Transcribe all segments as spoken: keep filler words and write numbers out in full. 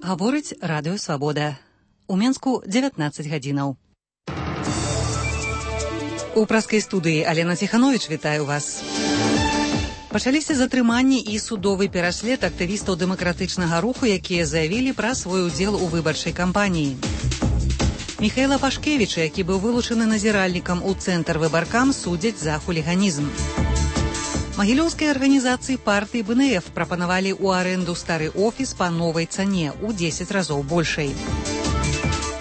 Гаворыць радыё Свабода. У Менску дзевятнаццаць гадзінаў. У праскай студыі Алена Ціхановіч вітаю вас. Пачаліся затрыманні і судовы пераслед актывістаў дэмакратычнага руху, якія заявілі пра свой удзел у выбарчай кампаніі. Міхаіла Пашкевіча, які быў вылучаны назіральнікам у цэнтр выбаркам, судзяць за хуліганізм. Магілёўскай арганізацыі партыі бэ эн эф прапанавалі ў арэнду стары офіс па новай цане ў дзесяць разоў большай.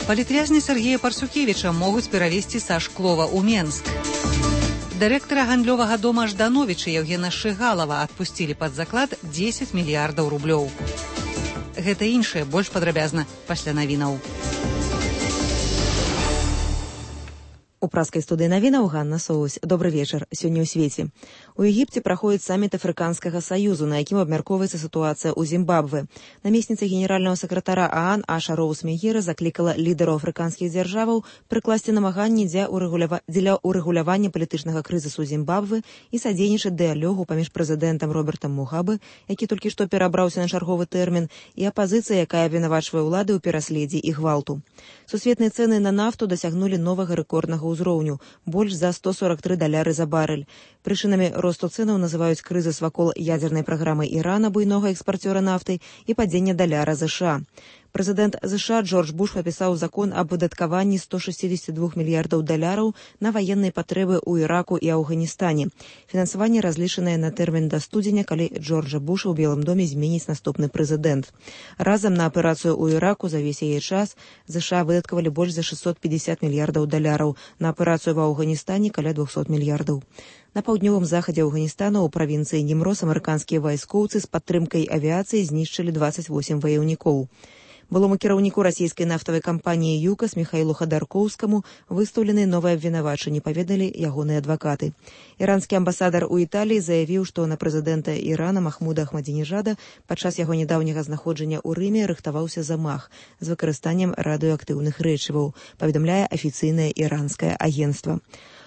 Палітвязні Сергея Парсюкевіча могуць перавесці са Шклова ў Менск. Дырэктара гандлёвага дома Ждановіча Евгена Шыгалава адпусцілі пад заклад дзесяць мільярдаў рублёў. Гэта іншае больш падрабязна пасля навінаў. У праскай студыі навінаў Ганна Соусь. Добры вечар. Сёння ў свеце. У Егіпце праходзіць саміт Афрыканскага саюзу, на якім абмяркоўваецца сітуацыя ў Зімбабве. Намесніца генеральнага сакратара ААН Аша Роуз Мегера заклікала лідараў афрыканскіх дзяржаваў прыкласці намаганні дзеля ўрэгулявання палітычнага крызісу Зімбабве і садзейнічаць дыялогу паміж прэзідэнтам Робертам Мугабе, які толькі што перабраўся на чарговы тэрмін, і апазіцыя, якая абвінавачвае ўлады ў пераследзе і гвалту. Сусветныя цэны на нафту дасягнулі новага рэкорднага ўзроўню, больш за сто сорок тры даляры за барэль. Прычынамі росту цэнаў называюць крызіс вакол ядзернай праграмы Ірана, буйнога экспарцёра нафты, і падзення даляра ЗША. Прэзідэнт ЗША Джордж Буш падпісаў закон аб выдаткаванні сто шэсцьдзесят два мільярдаў даляраў на ваенныя патрэбы ў Іраку і Афганістане. Фінансаванне разлічанае на тэрмін да студзеня, калі Джорджа Буша ў Белым доме зменіць наступны прэзідэнт. Разам на аперацыю ў Іраку за весь яе час ЗША выдаткавалі больш за шэсцьсот пятьдесят мільярдаў даляраў, на аперацыю ва Афганістане каля двухсот мільярдаў. На паўднёвым захадзе Афганістану ў правінцыі Німрос амерыканскія вайскоўцы з падтрымкай авіяцыі знішчылі дваццаць восем ваяўнікоў. Былому кіраўніку расійскай нафтавай кампаніі ЮКАС Міхаілу Хадаркоўскаму выстаўлены новыя абвінавачанні, паведалі ягоныя адвакаты. Іранскі амбасадар у Італіі заявіў, што на прэзідэнта Ірана Махмуда Ахмадзінежада падчас яго нядаўняга знаходжання ў Рыме рыхтаваўся замах з выкарыстаннем радыеактыўных рэчываў, паведамляе афіцыйнае іранскае агенцтва.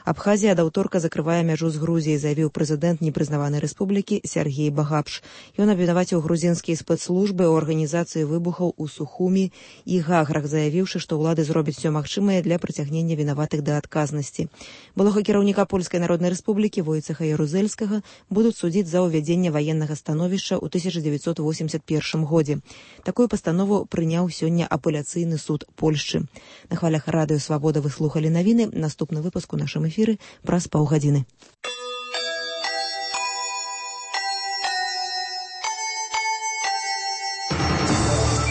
Абхазія ад аўторка закрывае мяжу з Грузіяй, заявіў прэзідэнт непрызнаванай рэспублікі Сергей Багапш. Ён абвінаваціў грузінскія спецслужбы ў арганізацыі выбухаў у Сухумі і Гаграх, заявіўшы, што ўлады зробяць усё магчымае для прыцягнення вінаватых да адказнасці. Былога кіраўніка Польскай народнай рэспублікі Войцеха Ярузельскага будуць судзіць за ўвядзенне ваеннага становішча ў тысяча дзевяцьсот восемьдесят першым годзе. Такую пастанову прыняў сёння апеляцыйны суд Польшчы. На хвалях радыё Свабода вы слухалі навіны. Наступны выпуск у нашым эфіры праз паўгадзіны.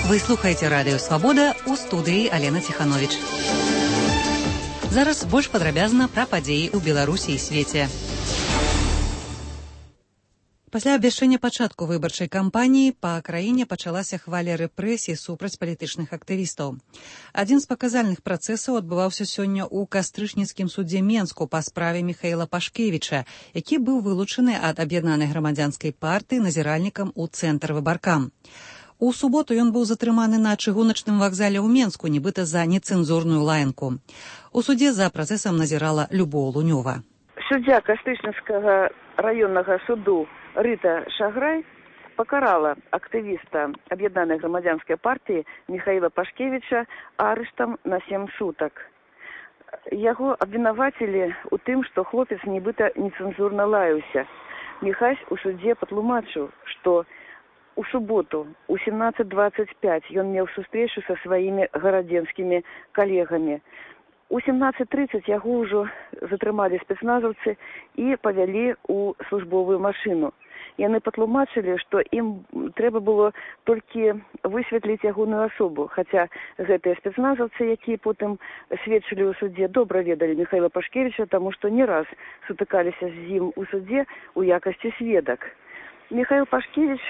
Вы слухаеце радыё Свабода, у студыі Алена Ціхановіч. Зараз больш падрабязна пра падзеі ў Беларусі і свеце. Пасля абвяшчэння пачатку выбарчай кампаніі па краіне пачалася хваля рэпрэсій супраць палітычных актывістаў. Адзін з паказальных працэсаў адбываўся сёння ў кастрычніцкім судзе Менску па справе Міхаіла Пашкевіча, які быў вылучаны ад аб'яднанай грамадзянскай партыі назіральнікам у цэнтр выбаркам. У суботу ён быў затрыманы на чыгуначным вакзале ў Менску, нібыта за нецэнзурную лаянку. У судзе за працэсам назірала Любоў Лунёва. Суддзя Кастрычніцкага раённага суду Рыта Шаграй пакарала актывіста аб'яднанай грамадзянскай партыі Міхаіла Пашкевіча арыштам на сем сутак. Яго абвінавацілі ў тым, што хлопец нібыта нецэнзурна лаяўся. Міхась у судзе патлумачыў, што у суботу у семнадцать двадцать пять ён меў сустрэчу са сваімі гарадзенскімі калегамі. У семнадцать тридцать яго ўжо затрымалі спецназаўцы і павялі ў службовую машыну. Яны патлумачылі, што ім трэба было толькі высветліць ягоную асобу, хаця гэтыя спецназаўцы, якія потым сведчылі ў судзе, добра ведалі Міхаіла Пашкевіча, таму што не раз сутыкаліся з ім у судзе ў якасці сведак. Міхаіл Пашкевіч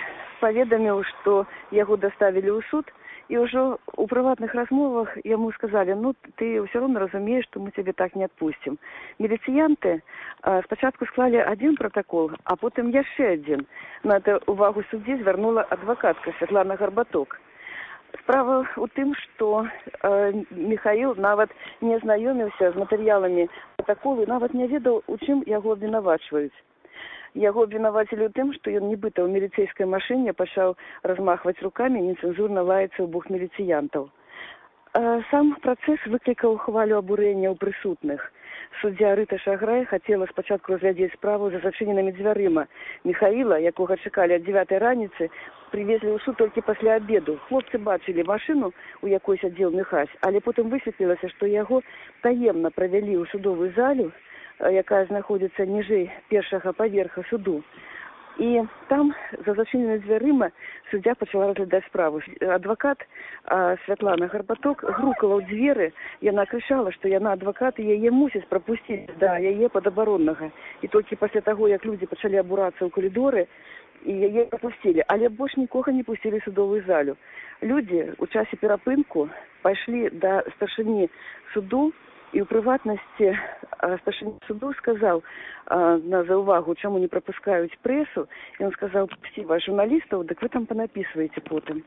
паведаміў, што яго даставілі ў суд, і ўжо у прыватных размовах яму сказалі, ну, ты ўсё роўна разумееш, што мы цябе так не адпусцім. Міліцыянты а, спачатку склалі адзін пратакол, а потым яшчэ адзін. На гэта увагу суддзі звярнула адвакатка Святлана Гарбаток. Справа ў тым, што э, Міхаіл нават не знаёміўся з матэрыяламі пратаколу, нават не ведаў, у чым яго абвінавачваюць. Яго абвінавацілі ў тым, што ён нібыта ў міліцэйскай машыне пачаў размахваць рукамі і нецэнзурна лаяцца ў бок міліцыянтаў. Сам працэс выклікаў хвалю абурэння ў прысутных. Суддзя Рыта Шаграй хацела спачатку разглядзець справу за зачыненымі дзвярыма. Міхаіла, якога чакалі ад дзевятай раніцы, привезли ў суд толькі пасля абеду. Хлопцы бачылі машыну, у якой сядзеў Міхась, але потым высветлілася, што яго таемна правялі ў судовую залю, якая знаходзіцца ніжэй першага паверха суду. І там, за зачыненымі дзвярыма, суддзя пачала разглядаць справу. Адвакат а, Святлана Гарбаток грукала ў дзверы, яна крычала, што яна адвакат і яе мусіць прапусціць да яе падабароннага. І толькі пасля таго, як людзі пачалі абурацца ў калідоры, і яе прапусцілі, але больш нікога не пусцілі ў судовую залю. Людзі ў часе перапынку пайшлі да старшыні суду, і ў прыватнасці старшыня суду сказаў а, на заўвагу, чаму не прапускаюць прэсу, і он сказаў, пусці вас журналістаў, дык вы там панапісваеце потым.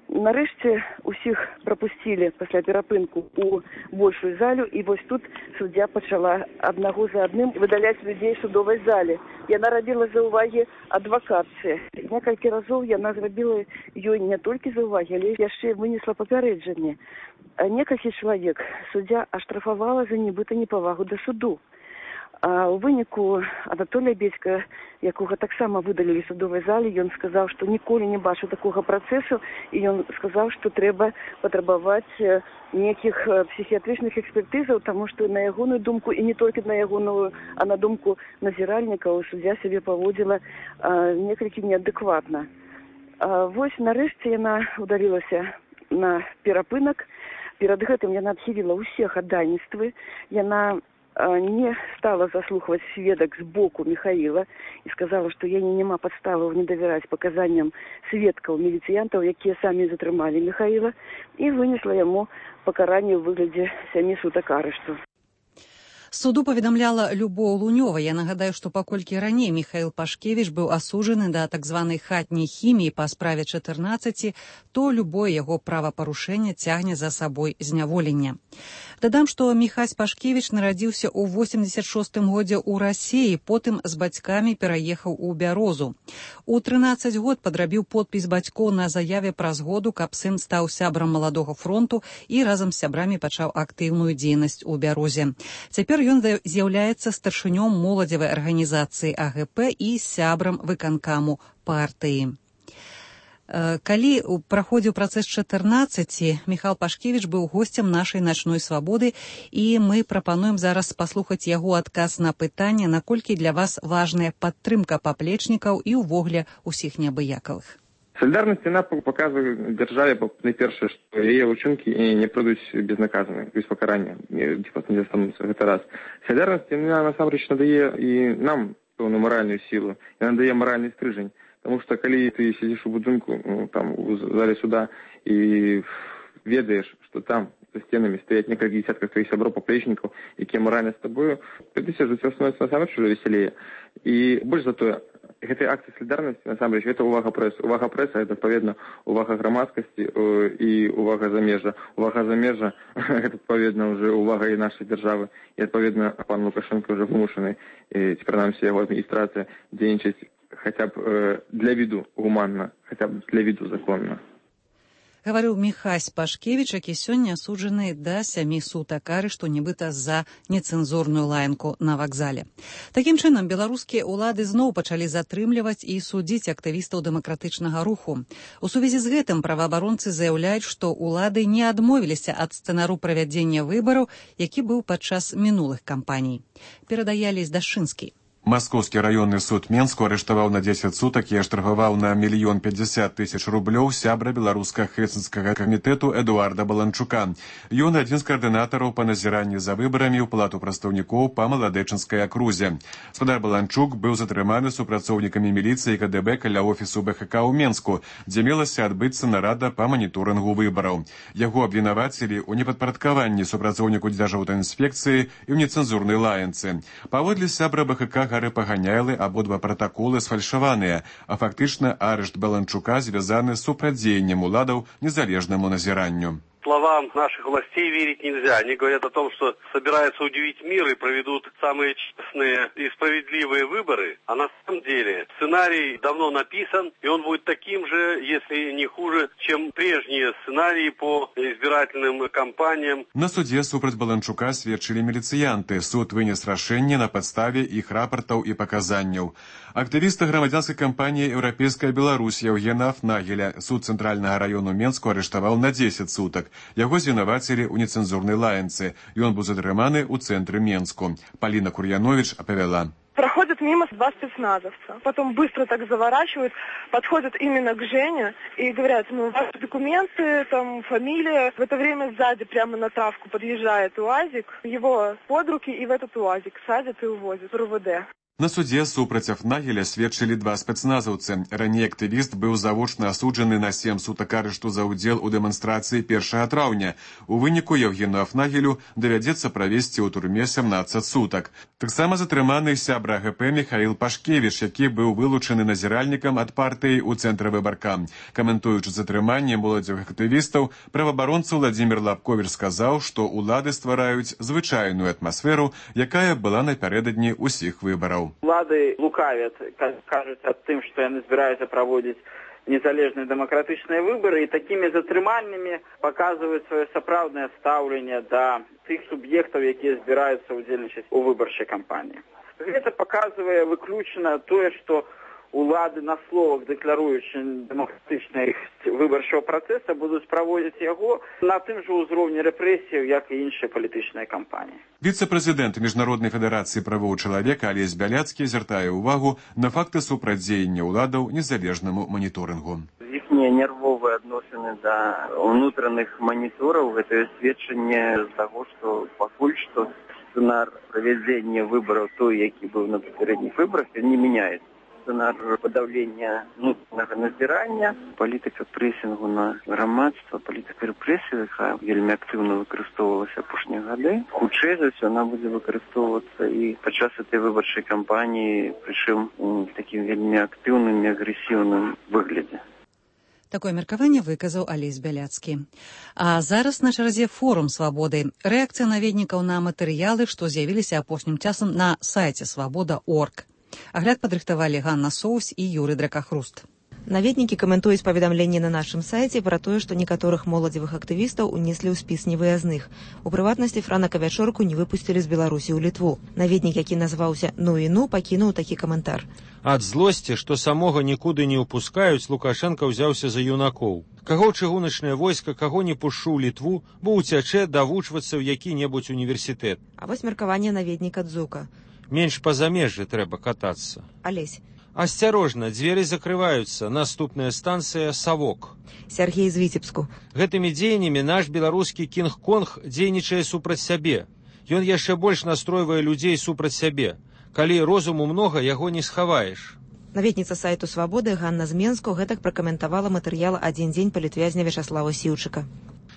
Нарэшце усіх прапусцілі пасля перапынку ў большую залю, і вось тут суддзя пачала аднаго за адным выдаляць людзей судовай зале. Яна рабіла заўвагі адвакатцы. Некалькі разоў яна зрабіла ёй не толькі заўвагі, але яшчэ вынесла папярэджанне. Некалькі чалавек суддзя аштрафавала за нібыта непавагу да суду. А ў выніку Анатолія Бецька, якога таксама выдалілі судовай зале, ён сказаў, што ніколі не бачыў такога працэсу, і ён сказаў, што трэба патрабаваць нейкіх псіхіятрычных экспертызаў, таму што на ягоную думку, і не толькі на ягоную, а на думку назіральнікаў, суддзя сябе паводзіла а, некалькі неадэкватна. А, вось нарэшце яна удалілася на перапынак. Перад гэтым яна адхіліла ўсе хадайніцтвы, яна не стала заслухваць сведак з боку Міхаіла і сказала, што яе няма падставаў не давяраць паказанням сведкаў міліцыянтаў, якія самі затрымалі Міхаіла, і вынесла яму пакаранне ў выглядзе сямі сутак арышту. Суду паведамляла Любоў Лунёва. Я нагадаю, што паколькі раней Міхаіл Пашкевіч быў асуджаны да так званай хатняй хіміі па справе чатырнаццаці, то любое яго правапарушэнне цягне за сабой зняволенне. Дадам, што Міхась Пашкевіч нарадзіўся ў восемдзесят шостым годзе ў Расіі, потым з бацькамі пераехаў у Бярозу. У трынаццаць год падрабіў подпіс бацькоў на заяве праз году, каб сын стаў сябрам маладога фронту і разам з сябрамі пачаў актыўную дзейнасць у Бярозе. Цяпер ён з'яўляецца старшынём моладзевай арганізацыі А Г П і сябрам выканкаму партыі. Калі праходзіў працэс чатырнаццаці, Міхал Пашкевіч быў госцем нашай начной свабоды, і мы прапануем зараз паслухаць яго адказ на пытанне, наколькі для вас важная падтрымка паплечнікаў і ўвогуле усіх неабыякавых. Солідарнасць яна паказвае дзяржаве, найпершае, што яе ўчынкі не пройдуць безнаказаны, без пакарання. Гэта раз. Солідарнасць яна насамрэч надае і нам пэўную маральную сілу, яна надае маральны стрыжань. Потому что, калі ты сидишь у будынку, ну, там, у зале суда, и ведаешь, что там за стенами стоят несколько десятков твоих сяброў-паплечнікаў, якія морально с тобою, ты сидишь, становится насамрэч уже веселее. И больше за то, гэтыя акции солідарнасці, насамрэч, это увага прэсы. Увага прэсы, это, адпаведна, увага грамадскасці і увага замежжа. Увага замежжа, это, адпаведна, уже увага і нашай дзяржавы. І, адпаведна, пан Лукашенко уже вымушаны, ці, прынамсі, яго адміністрацыя дзейнічаць хотя бы э, для виду гуманно, хотя бы для виду законно. Гаварыў Міхась Пашкевіч, які сёння асуджаны да сямі сутак арышту, нібыта за нецэнзурную лаянку на вакзале. Такім чынам, беларускія ўлады зноў пачалі затрымліваць і судзіць актывістаў дэмакратычнага руху. У сувязі з гэтым праваабаронцы заяўляюць, што ўлады не адмовіліся ад сцэнару правядзення выбараў, які быў падчас мінулых кампаній. Перадае Алесь Дашчынскі. Маскоўскі раённы суд Менску арыштаваў на дзесяць сутак і аштрафаваў на мільён пятьдесят тысяч рублёў сябра беларускага хэцынскага камітэту Эдуарда Баланчука. Ён адзін з каардынатараў па назіранні за выбарамі ў палату прадстаўнікоў па Маладэчынскай акрузе. Спадар Баланчук быў затрыманы супрацоўнікамі міліцыі Ка Дэ Бэ каля офісу Бэ Ха Ка ў Менску, дзе мелася адбыцца нарада па маніторынгу выбараў. Яго абвінавацілі ў непадпарадкаванні супрацоўніку дзяржаўтаінспекцыі і ў нецэнзурнай лаянцы. Паводле сябра Бэ Ха Ка паганялы, абодва пратаколы сфальшаваныя, а фактычна арышт Баланчука звязаны з супрацьдзеяннем уладаў незалежнаму назіранню. словам наших властей верить нельзя. Они говорят о том, что собираются удивить мир и проведут самые честные и справедливые выборы. А на самом деле сценарий давно написан, и он будет таким же, если не хуже, чем прежние сценарии по избирательным кампаниям. На суде супраць Баланчука сведчылі міліцыянты. Суд вынес рашэнне на падставе іх рапартаў і паказанняў. Актывіста грамадзянскай кампаніі «Еўрапейская Беларусь» Яўгена Афнагеля суд цэнтральнага раёну Менску арыштаваў на дзесяць сутак. Яго звінавацілі ў нецэнзурнай лаянцы. Ён быў затрыманы ў цэнтры Менску. Паліна Кур'янович апавяла. Проходят мимо два спецназовца, потом быстро так заворачивают, подходят именно к Жене и говорят, ну, ваши документы, там, фамилия. В это время сзади прямо на травку подъезжает УАЗик, его под руки и в этот УАЗик садят и увозят в РУВД. На суде супраць Афнагеля сведчылі два спецназаўцы. Раней актывіст быў завочна асуджаны на сем сутак арышту за ўдзел у дэманстрацыі першага траўня. У выніку Яўгену Афнагелю давядзецца правесці ў турме сямнаццаць сутак. Таксама затрыманы сябра ГП Михаил Пашкевич, які быў вылучаны назіральнікам ад партыі ў цэнтры выбарка. Каментуючы затрыманне моладзевых актывістаў, праваабаронца Владзімір Лапковіч сказаў, што ўлады ствараюць звычайную атмасферу, якая была напярэдадні ўсіх выбараў. Улады лукавят, кажуць аб тым, што яны збіраюцца праводзіць незалежныя дэмакратычныя выбары, і такімі затрыманнямі паказваюць сваё сапраўднае стаўленне да тых суб'ектаў, якія збіраюцца ўдзельнічаць у выбарчай кампаніі. Гэта паказвае выключна тое, што улады на словах, дэкларуючы дэмакратычнасць выбарчага працэса, будуць праводзіць яго на тым жа ўзроўні рэпрэсіяў, як і іншыя палітычныя кампаніі. Віцэ-прэзідэнт Міжнароднай федэрацыі правоў чалавека Алесь Бяляцкі звяртае ўвагу на факты супрацьдзеяння ўладаў незалежнаму маніторынгу. Іхнія нервовыя адносіны да ўнутраных манітораў – гэта сведчанне з таго, што пакуль што сцэнар правядзення выбараў той, які быў на папярэдніх выбарах, не мяняецца. Сцэнар падаўлення внутреннага назірання, палітыка прэсінгу на грамадства, палітыка рэпрэсіі, якая вельмі актыўна выкарыстоўвалася апошнія гады. Хутчэй за ўсё яна будзе выкарыстоўвацца і падчас этой выбарчай кампаніі, прычым у такім вельмі актыўным і агрэсіўным выглядзе. Такое меркаванне выказаў Алесь Бяляцкі. А зараз на чарзе форум свабоды. Рэакцыя наведнікаў на матэрыялы, што з'явіліся апошнім часам на сайце свабода точка орг. Агляд падрыхтавалі Ганна Соус і Юрый Дракахруст. Наведнікі каментуюць паведамленні на нашым сайце пра тое, што некаторых моладзевых актывістаў унеслі ў спіс невыязных. У прыватнасці Франака Вячорку не выпусцілі з Беларусі ў Літву. Наведнік, які назваўся «Ну і ну», пакінуў такі каментар. Ад злосці, што самога нікуды не ўпускаюць, Лукашенка ўзяўся за юнакоў. Каго чыгуначнае войска, каго не пушчу ў Літву, бо ўцячэ давучвацца ў які-небудзь універсітэт. А вось меркаванне наведніка Дзука. Менш па замежжы трэба катацца. Алесь. Асцярожна, дзверы закрываюцца. Наступная станцыя Савок. Сергей з Віцебску. Гэтымі дзеяннямі наш беларускі Кінг-Конг дзейнічае супраць сябе. Ён яшчэ больш настройвае людзей супраць сябе. Калі розуму многа, яго не схаваеш. Наведніца сайту «Свабоды» Ганна з Менску гэтак пракаментавала матэрыял «Адзін дзень палітвязня» Вячаслава Сіўчыка.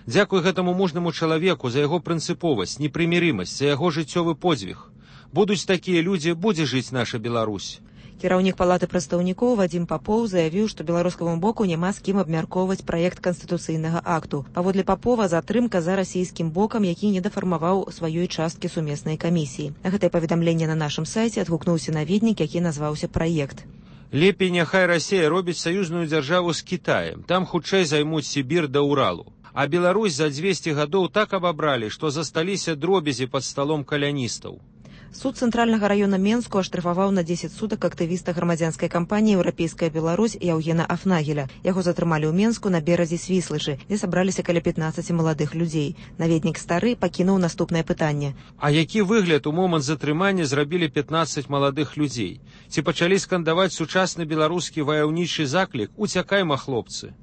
Дзякуй гэтаму мужнаму чалавеку за яго прынцыповасць, непрымірымасць, за яго жыццёвы подзвіг. Будуць такія людзі, будзе жыць наша Беларусь. Кіраўнік палаты прадстаўнікоў Вадзім Папоў заявіў, што беларускаму боку няма з кім абмяркоўваць праект канстытуцыйнага акту. Паводле Папова, затрымка за расійскім бокам, які не дафармаваў сваёй часткі сумеснай камісіі. На гэтае паведамленне на нашым сайце адгукнуўся наведнік, які назваўся «Праект». Лепей няхай Расія робіць саюзную дзяржаву з Кітаем. Там хутчэй займуць Сібір да Уралу. А Беларусь за дзвесце гадоў так абабралі, што засталіся дробязі пад сталом каляністаў. Суд цэнтральнага раёна Менску аштрафаваў на дзесяць сутак актывіста грамадзянскай кампаніі «Еўрапейская Беларусь» Яўгена Афнагеля. Яго затрымалі ў Менску на беразе Свіслычы, дзе сабраліся каля пятнаццаці маладых людзей. Наведнік стары пакінуў наступнае пытанне. А які выгляд у момант затрымання зрабілі пятнаццаць маладых людзей? Ці пачалі скандаваць сучасны беларускі ваяўнічы заклік «Уцякайма, хлопцы».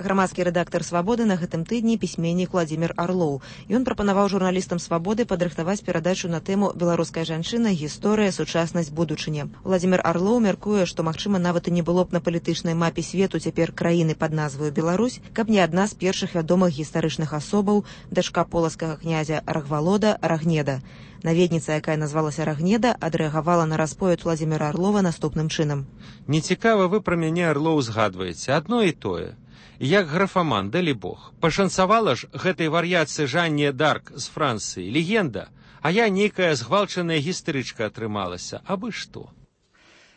Грамадскі рэдактар «Свабоды» на гэтым тыдні пісьменнік Владзімір Арлоў. Ён прапанаваў журналістам «Свабоды» падрыхтаваць перадачу на тэму «Беларуская жанчына. Гісторыя, сучаснасць, будучыня». Владзімір Арлоў мяркуе, што, магчыма, нават і не было б на палітычнай мапе свету цяпер краіны пад назваю Беларусь, каб не адна з першых вядомых гістарычных асобаў, дачка полацкага князя Рагвалода Рагнеда. Наведніца, якая назвалася Рагнеда, адрэагавала на расповед Владзіміра Арлова наступным чынам. Нецікава вы пра мяне, Арлоў, згадваеце. Адно і тое. Як графаман, далі Бог. Пашанцавала ж гэтай вар'ятцы Жанне Дарк з Францыі, легенда, а я нейкая згвалчаная гістэрычка атрымалася, абы што.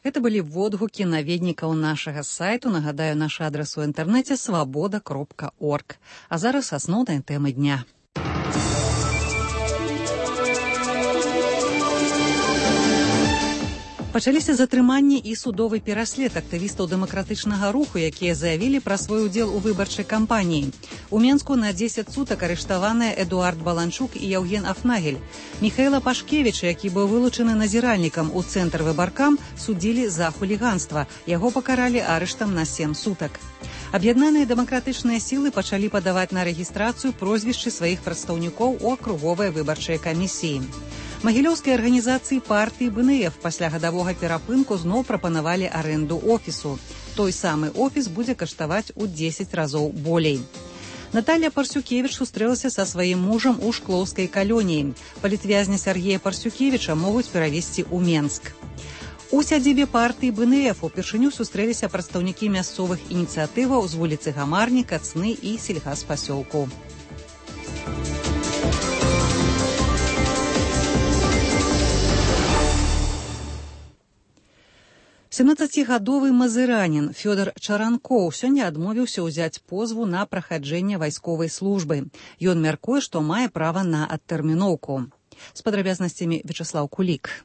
Это былі водгукі наведнікаў нашага сайту. Нагадаю, наш адрас у інтэрнэце свабода кропка орг. А зараз асноўныя тэмы дня. Пачаліся затрыманні і судовы пераслед актывістаў дэмакратычнага руху, якія заявілі пра свой удзел у выбарчай кампаніі. У Менску на дзесяць сутак арыштаваныя Эдуард Баланчук і Яўген Афнагель. Міхаіла Пашкевіча, які быў вылучаны назіральнікам у цэнтр выбаркам, судзілі за хуліганства. Яго пакаралі арыштам на сем сутак. Аб'яднаныя дэмакратычныя сілы пачалі падаваць на рэгістрацыю прозвішчы сваіх прадстаўнікоў у акруговай выбарчай камісіі. Магілёўскай арганізацыі партыі бэ эн эф пасля гадавога перапынку зноў прапанавалі арэнду офісу. Той самы офіс будзе каштаваць у дзесяць разоў болей. Наталья Парсюкевіч сустрэлася са сваім мужам у Шклоўскай калоніі. Палітвязня Сергея Парсюкевіча могуць перавесці ў Менск. У сядзібе партыі бэ эн эф упершыню сустрэліся прадстаўнікі мясцовых ініцыятываў з вуліцы Гамарні, Кацны і сельгаспасёлку. семнаццацігадовы мазыранін Фёдор Чаранкоў сёння адмовіўся ўзяць позву на прахаджэнне вайсковай службы. Ён мяркуе, што мае права на адтэрміноўку. З падрабязнасцямі Вячеслав Кулік.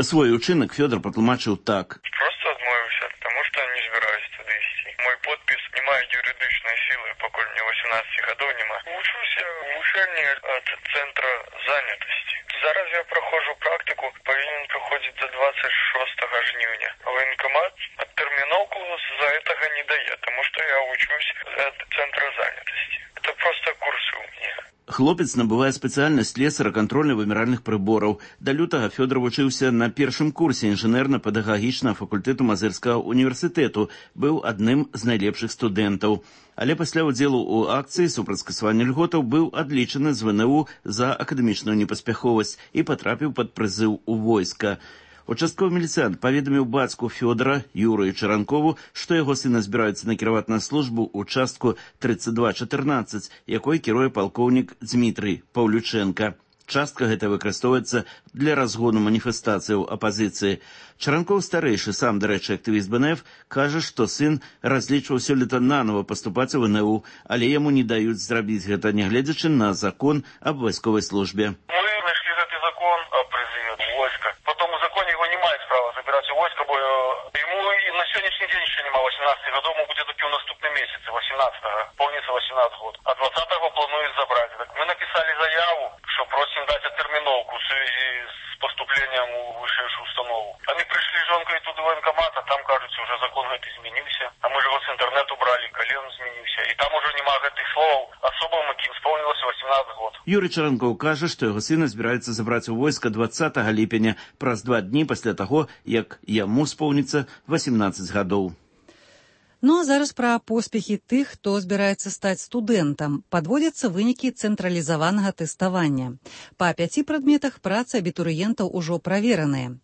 Свой учынак Фёдор патлумачыў так. Просто адмовіўся, таму што не збіраюсь туды ісці. Мой подпіс не мае юрыдычнай сілы, пакуль мне восемнадцати гадоў няма. Вучуся ў вучэльні ад цэнтра занятасці. Зараз я праходжу практыку, павінен праходзіць да двадцать шостага жніўня. Военкомат адтэрміноўку з-за гэтага не дае, таму што я вучусь ад цэнтра занятасці. Это просто курсы у мяне. Хлопец набывае спецыяльнасць слесара кантрольна-вымяральных прыбораў. Да лютага Фёдор вучыўся на першым курсе інжынерна-педагагічнага факультэту Мазырскага універсітэту, быў адным з найлепшых студэнтаў. Але пасля ўдзелу ў акцыі супраць скасавання льготаў быў адлічаны з вэ эн у за акадэмічную непаспяховасць і патрапіў пад прызыў у войска. Участковы міліцыянт паведаміў бацьку Фёдора, Юрыю Чаранкову, што яго сына збіраюцца накіраваць на службу ў частку тридцать два чатырнаццаць, якой кіруе палкоўнік Дмітрый Паўлючэнка. Частка гэта выкарыстоўваецца для разгону маніфестацыяў апазіцыі. Чаранкоў старэйшы, сам, дарэчы, актывіст бэ эн эф, кажа, што сын разлічваў сёлета нанова паступаць у вэ эн у, але яму не даюць зрабіць гэта, нягледзячы на закон аб вайсковай службе. Войска, бо ему и на сегодняшний день еще нема восемнадцати годов, ему будет таки в наступном месяце, восемнадцатого, полнится восемнадцать год. А двадцатого планует забрать. Так мы написали заяву, что просим дать оттерминовку в связи с поступлением в высшую установу. Они пришли с жонкой туда в военкомат, а там, кажется, уже закон этот изменился. А мы же его с интернета убрали, колен изменился. И там уже нема этих слов. Особо им исполнилось восемнадцать год. Юрий Чаранкоў кажа, што яго сына збіраецца забраць у войска двадцатага ліпеня, праз два дні пасля таго, як яму споўніцца восемнадцаць гадоў. Ну а зараз пра поспехі тых, хто збіраецца стаць студэнтам. Падводзяцца вынікі цэнтралізаванага тэставання. Па пяці прадметах працы абітурыентаў ужо правераныя.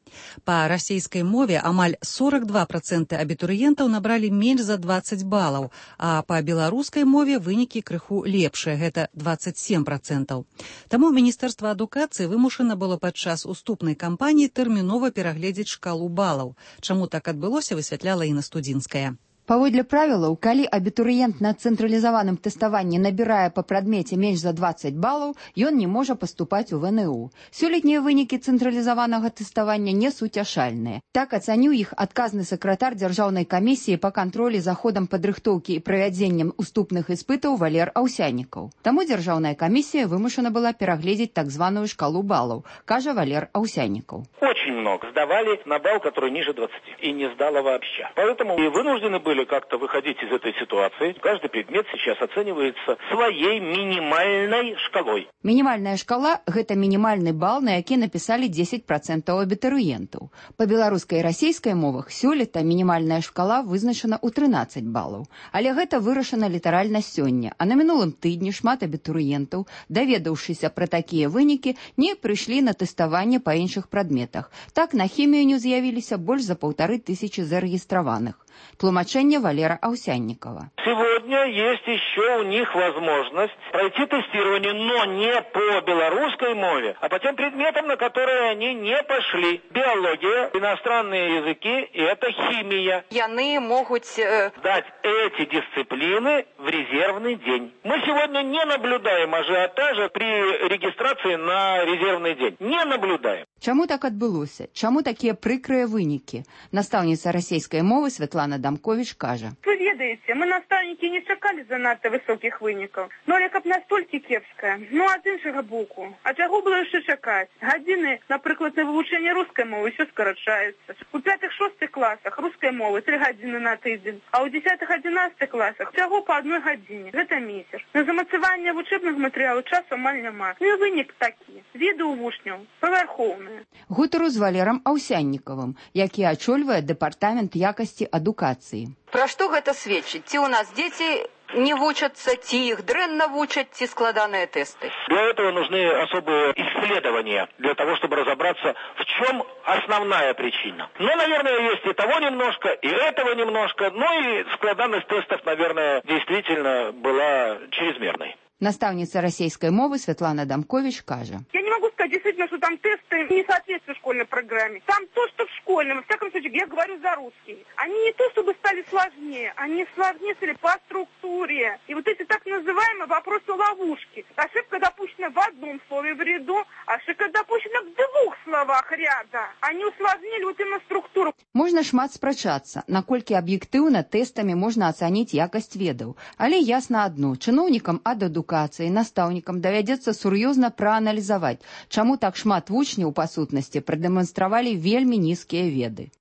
Па расейскай мове амаль сорок два проценты абітурыентаў набралі менш за двадцать балаў, а па беларускай мове вынікі крыху лепшыя, гэта двадцать семь процентаў. Таму Міністэрства адукацыі вымушана было падчас уступнай кампаніі тэрмінова перагледзець шкалу балаў. Чаму так адбылося, высвятляла Інна Студзінская. Паводле правілаў, калі абітурыент на цэнтралізаваным тэставанні набірае па прадмеце менш за двадцать балаў, ён не можа паступаць у вэ эн у. Сёлетнія вынікі цэнтралізаванага тэставання не суцяшальныя. Так ацаніў іх адказны сакратар дзяржаўнай камісіі па кантролі за ходам падрыхтоўкі і правядзеннем уступных іспытаў Валер Аўсянікаў. Таму дзяржаўная камісія вымушана была перагледзець так званую шкалу балаў, кажа Валер Аўсянікаў. Очень много. Сдавали на балл, который ниже двадцати. И не сдало вообще. Поэтому и вынуждены были как-то выходить из этой ситуации. Каждый предмет сейчас оценивается своей минимальной шкалой. Минимальная шкала – гэта минимальный балл, на які написали десять процентов абітурыентаў. По беларускай і расійскай мовах сёлета минимальная шкала вызначана ў трынаццаць балаў. Але гэта вырашана літаральна сёння. А на мінулым тыдні шмат абітурыентаў, даведаўшыся пра такія вынікі, не прыйшлі на тэставанне па іншых прадметах. Так, на хімію не з'явіліся больш за паўтары тысячы зарэгістраваных. Тлумачэнне Валера Аўсяннікова. Сегодня есть еще у них возможность пройти тестирование, но не по белорусской мове, а по тем предметам, на которые они не пошли. Биология, иностранные языки и это химия. Яны могут э... дать эти дисциплины в резервный день. Мы сегодня не наблюдаем ажиотажа при регистрации на резервный день. Не наблюдаем. Чаму так адбылося? Чаму такія прыкрыя вынікі? Настаўніца расійскай мовы Святлана Дамкович кажа. Вы ведаете, мы настаўнікі не чакалі занадта высокіх вынікаў. Но але каб настолькі кепская. Ну, а з іншага боку. А чаго было яшчэ чакаць? Гадзіны, напрыклад, на вывучэнне рускай мовы ўсё скарачаецца. У пятых-шостых класах рускай мовы тры гадзіны на тыдзень, а ў дзесятых-адзінаццатых класах всяго по одной гадзіне. Гэта месяц. На замацаванне вучэбных матэрыялаў часу амаль няма. Ну і вынік такі. Веды ў вучняў павярхоўныя. Гутару з Валерам Аўсяннікавым, які ачольвае дэпартамент якасці адукацыі. Пра што гэта сведчыць? Ці ў нас дзеці не вучатся, ці их дрэнна вучат, ці складанные тесты? Для этого нужны особые исследования, для того, чтобы разобраться, в чем основная причина. Ну, наверное, есть и того немножко, и этого немножко, ну и складанность тестов, наверное, действительно была чрезмерной. Настаўніца расійскай мовы Светлана Дамкович кажа. Я не могу сказать действительно, что там тесты не соответствуют школьной программе. Там то, что в школьном, во всяком случае, я говорю за русский. Они не то, чтобы стали сложнее, они сложнее стали по структуре. И вот эти так называемые вопросы-ловушки. Ошибка допущена в одном слове в ряду, ошибка допущена в двух словах ряда. Они усложнили вот именно структуру. Можна шмат спрачацца, наколькі аб'ектыўна тэстамі можна ацаніць якасць ведаў. Але ясна адно, чыноўнікам ад адукацыі, настаўнікам давядзецца сур'ёзна прааналізаваць, чаму так шмат вучняў па сутнасці прадэманстравалі вельмі нізкія веды.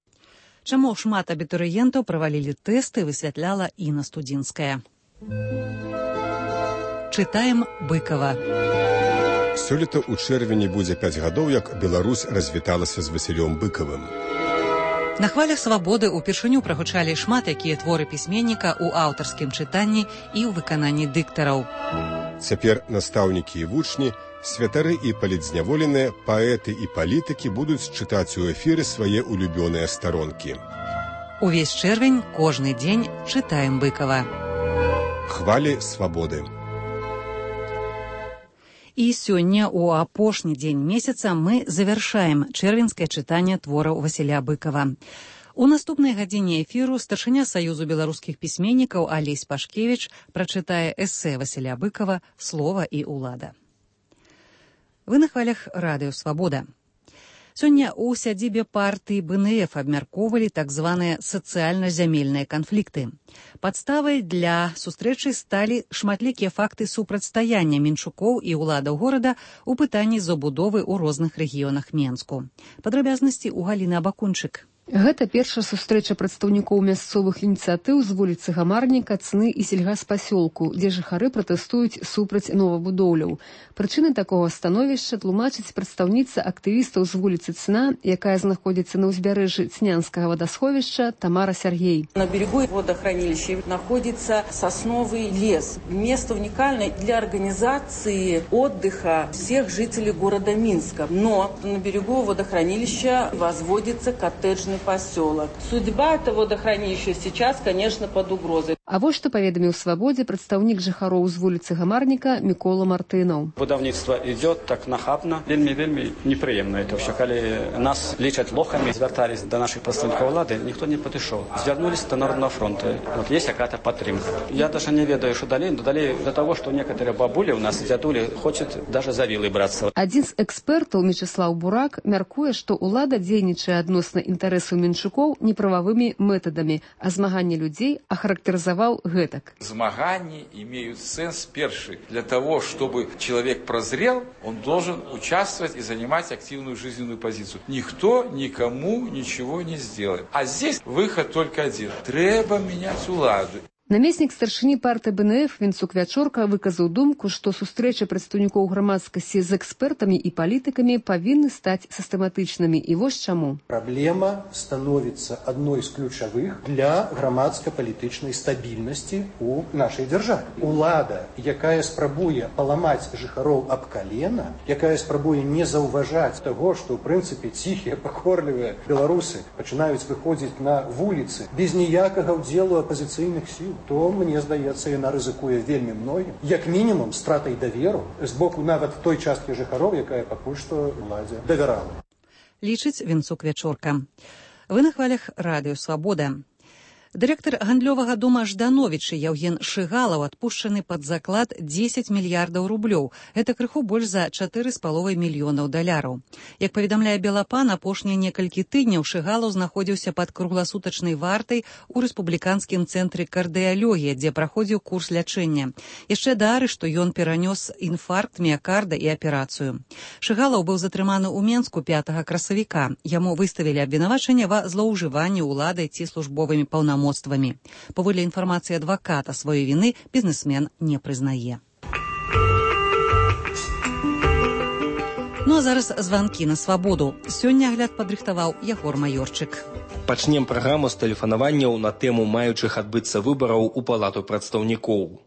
Чаму шмат абітурыентаў правалілі тэсты, высвятляла Інна Студзінская. Чытаем Быкова. Сёлета ў чэрвені будзе пяць гадоў, як Беларусь развіталася з Васілём Быкавым. На хвалях свабоды ўпершыню прагучалі шмат якія творы пісьменніка ў аўтарскім чытанні і ў выкананні дыктараў. Цяпер настаўнікі і вучні, святары і палітзняволеныя, паэты і палітыкі будуць чытаць у эфіры свае улюбёныя старонкі. Увесь чэрвень, кожны дзень чытаем Быкава. Хвалі свабоды. І сёння, у апошні дзень месяца, мы завяршаем чэрвеньскае чытанне твораў Васіля Быкава. У наступнай гадзіне эфіру старшыня Саюзу беларускіх пісьменнікаў Алесь Пашкевіч прачытае эсэ Васіля Быкава «Слова і ўлада». Вы на хвалях радыё «Свабода». Сёння ў сядзібе партыі бэ эн эф абмяркоўвалі так званыя сацыяльна-зямельныя канфлікты. Падставай для сустрэчы сталі шматлікія факты супрацьстаяння менчукоў і ўладаў горада ў пытанні забудовы ў розных рэгіёнах Менску. Падрабязнасці ў Галіны Абакунчык. Гэта першая сустрэча прадстаўнікоў мясцовых ініцыятыў з вуліцы Гамарніка, Цны і сельгаспасёлку, дзе жыхары пратэстуюць супраць новабудоўляў. Прычыны такога становішча тлумачыць прадстаўніца актывістаў з вуліцы Цна, якая знаходзіцца на ўзбярэжжы Цнянскага водосховища, Тамара Сергей. На берегу водохранилища находится сосновый лес. Место уникальное для организации отдыха всех жителей города Минска. Но на берегу водохранилища возводится коттеджный поселок. Судьба этого водохранилища сейчас, конечно, под угрозой. А вот что поведомил в «Свободе» представник жыхароў з вуліцы Гамарніка Мікола Мартынаў. Будаўніцтва идет так нахабно, вельмі-вельмі неприемно это все. Калі нас лічаць лохами, звяртались до наших представников влады, никто не подошел. Звернулись до Народного фронта. Вот есть какая-то подтримка. Я даже не ведаю, что далее, но далее до того, что некоторые бабули у нас, дядули, хочет даже за вилы браться. Один з экспертаў, Мечислав Бурак, мяркуе, што ўлада дзейнічае адносна інтарэсаў менчукоў неправавымі методамі, а змаганне людзей ахарактарызаваў гэтак. Змаганні имеют сенс перший. Для того, чтобы человек прозрел, он должен участвовать и занимать активную жизненную позицию. Никто никому ничего не сделает. А здесь выход только один. Треба менять уладу. Намеснік старшыні партыі бэ эн эф Вінцук Вячорка выказаў думку, што сустрэчы прадстаўнікоў грамадскасці з экспертамі і палітыкамі павінны стаць сістэматычнымі. І вось чаму. Праблема становіцца адной з ключавых для грамадска-палітычнай стабільнасці ў нашай дзяржаве. Улада, якая спрабуе паламаць жыхароў аб калена, якая спрабуе не заўважаць таго, што ў прынцыпе ціхія, пакорлівыя беларусы пачынаюць выходзіць на вуліцы без ніякага ўдзелу апазіцыйных сіл, то, мне здаецца, яна рызыкуе вельмі многім, як мінімум стратай даверу з боку нават той часткі жыхароў, якая пакуль што уладзе давярала. Лічыць Вінцук Вячорка. Вы на хвалях радыё «Свабода». Дырэктар гандлёвага дома Ждановічы Яўген Шыгалаў адпушчаны пад заклад дзесяць мільярдаў рублёў. Гэта крыху больш за чатыры з паловай мільёнаў даляраў. Як паведамляе Белапан, апошнія некалькі тыдняў Шыгалаў знаходзіўся пад кругласутачнай вартай у рэспубліканскім цэнтры кардыялогія, дзе праходзіў курс лячэння. Яшчэ да арышту ён перанёс інфаркт міякарда і аперацыю. Шыгалаў быў затрыманы ў Менску пятага красавіка. Яму выставілі абвінавачанне ва злоўжыванні ўладай ці службовымі паўнамоцтвамі. Паводле інфармацыі адваката, сваёй віны бізнесмен не прызнае. Ну а зараз званкі на свабоду. Сёння агляд падрыхтаваў Ягор Маёрчык. Пачнем праграму з тэлефанаванняў на тэму маючых адбыцца выбараў у палату прадстаўнікоў.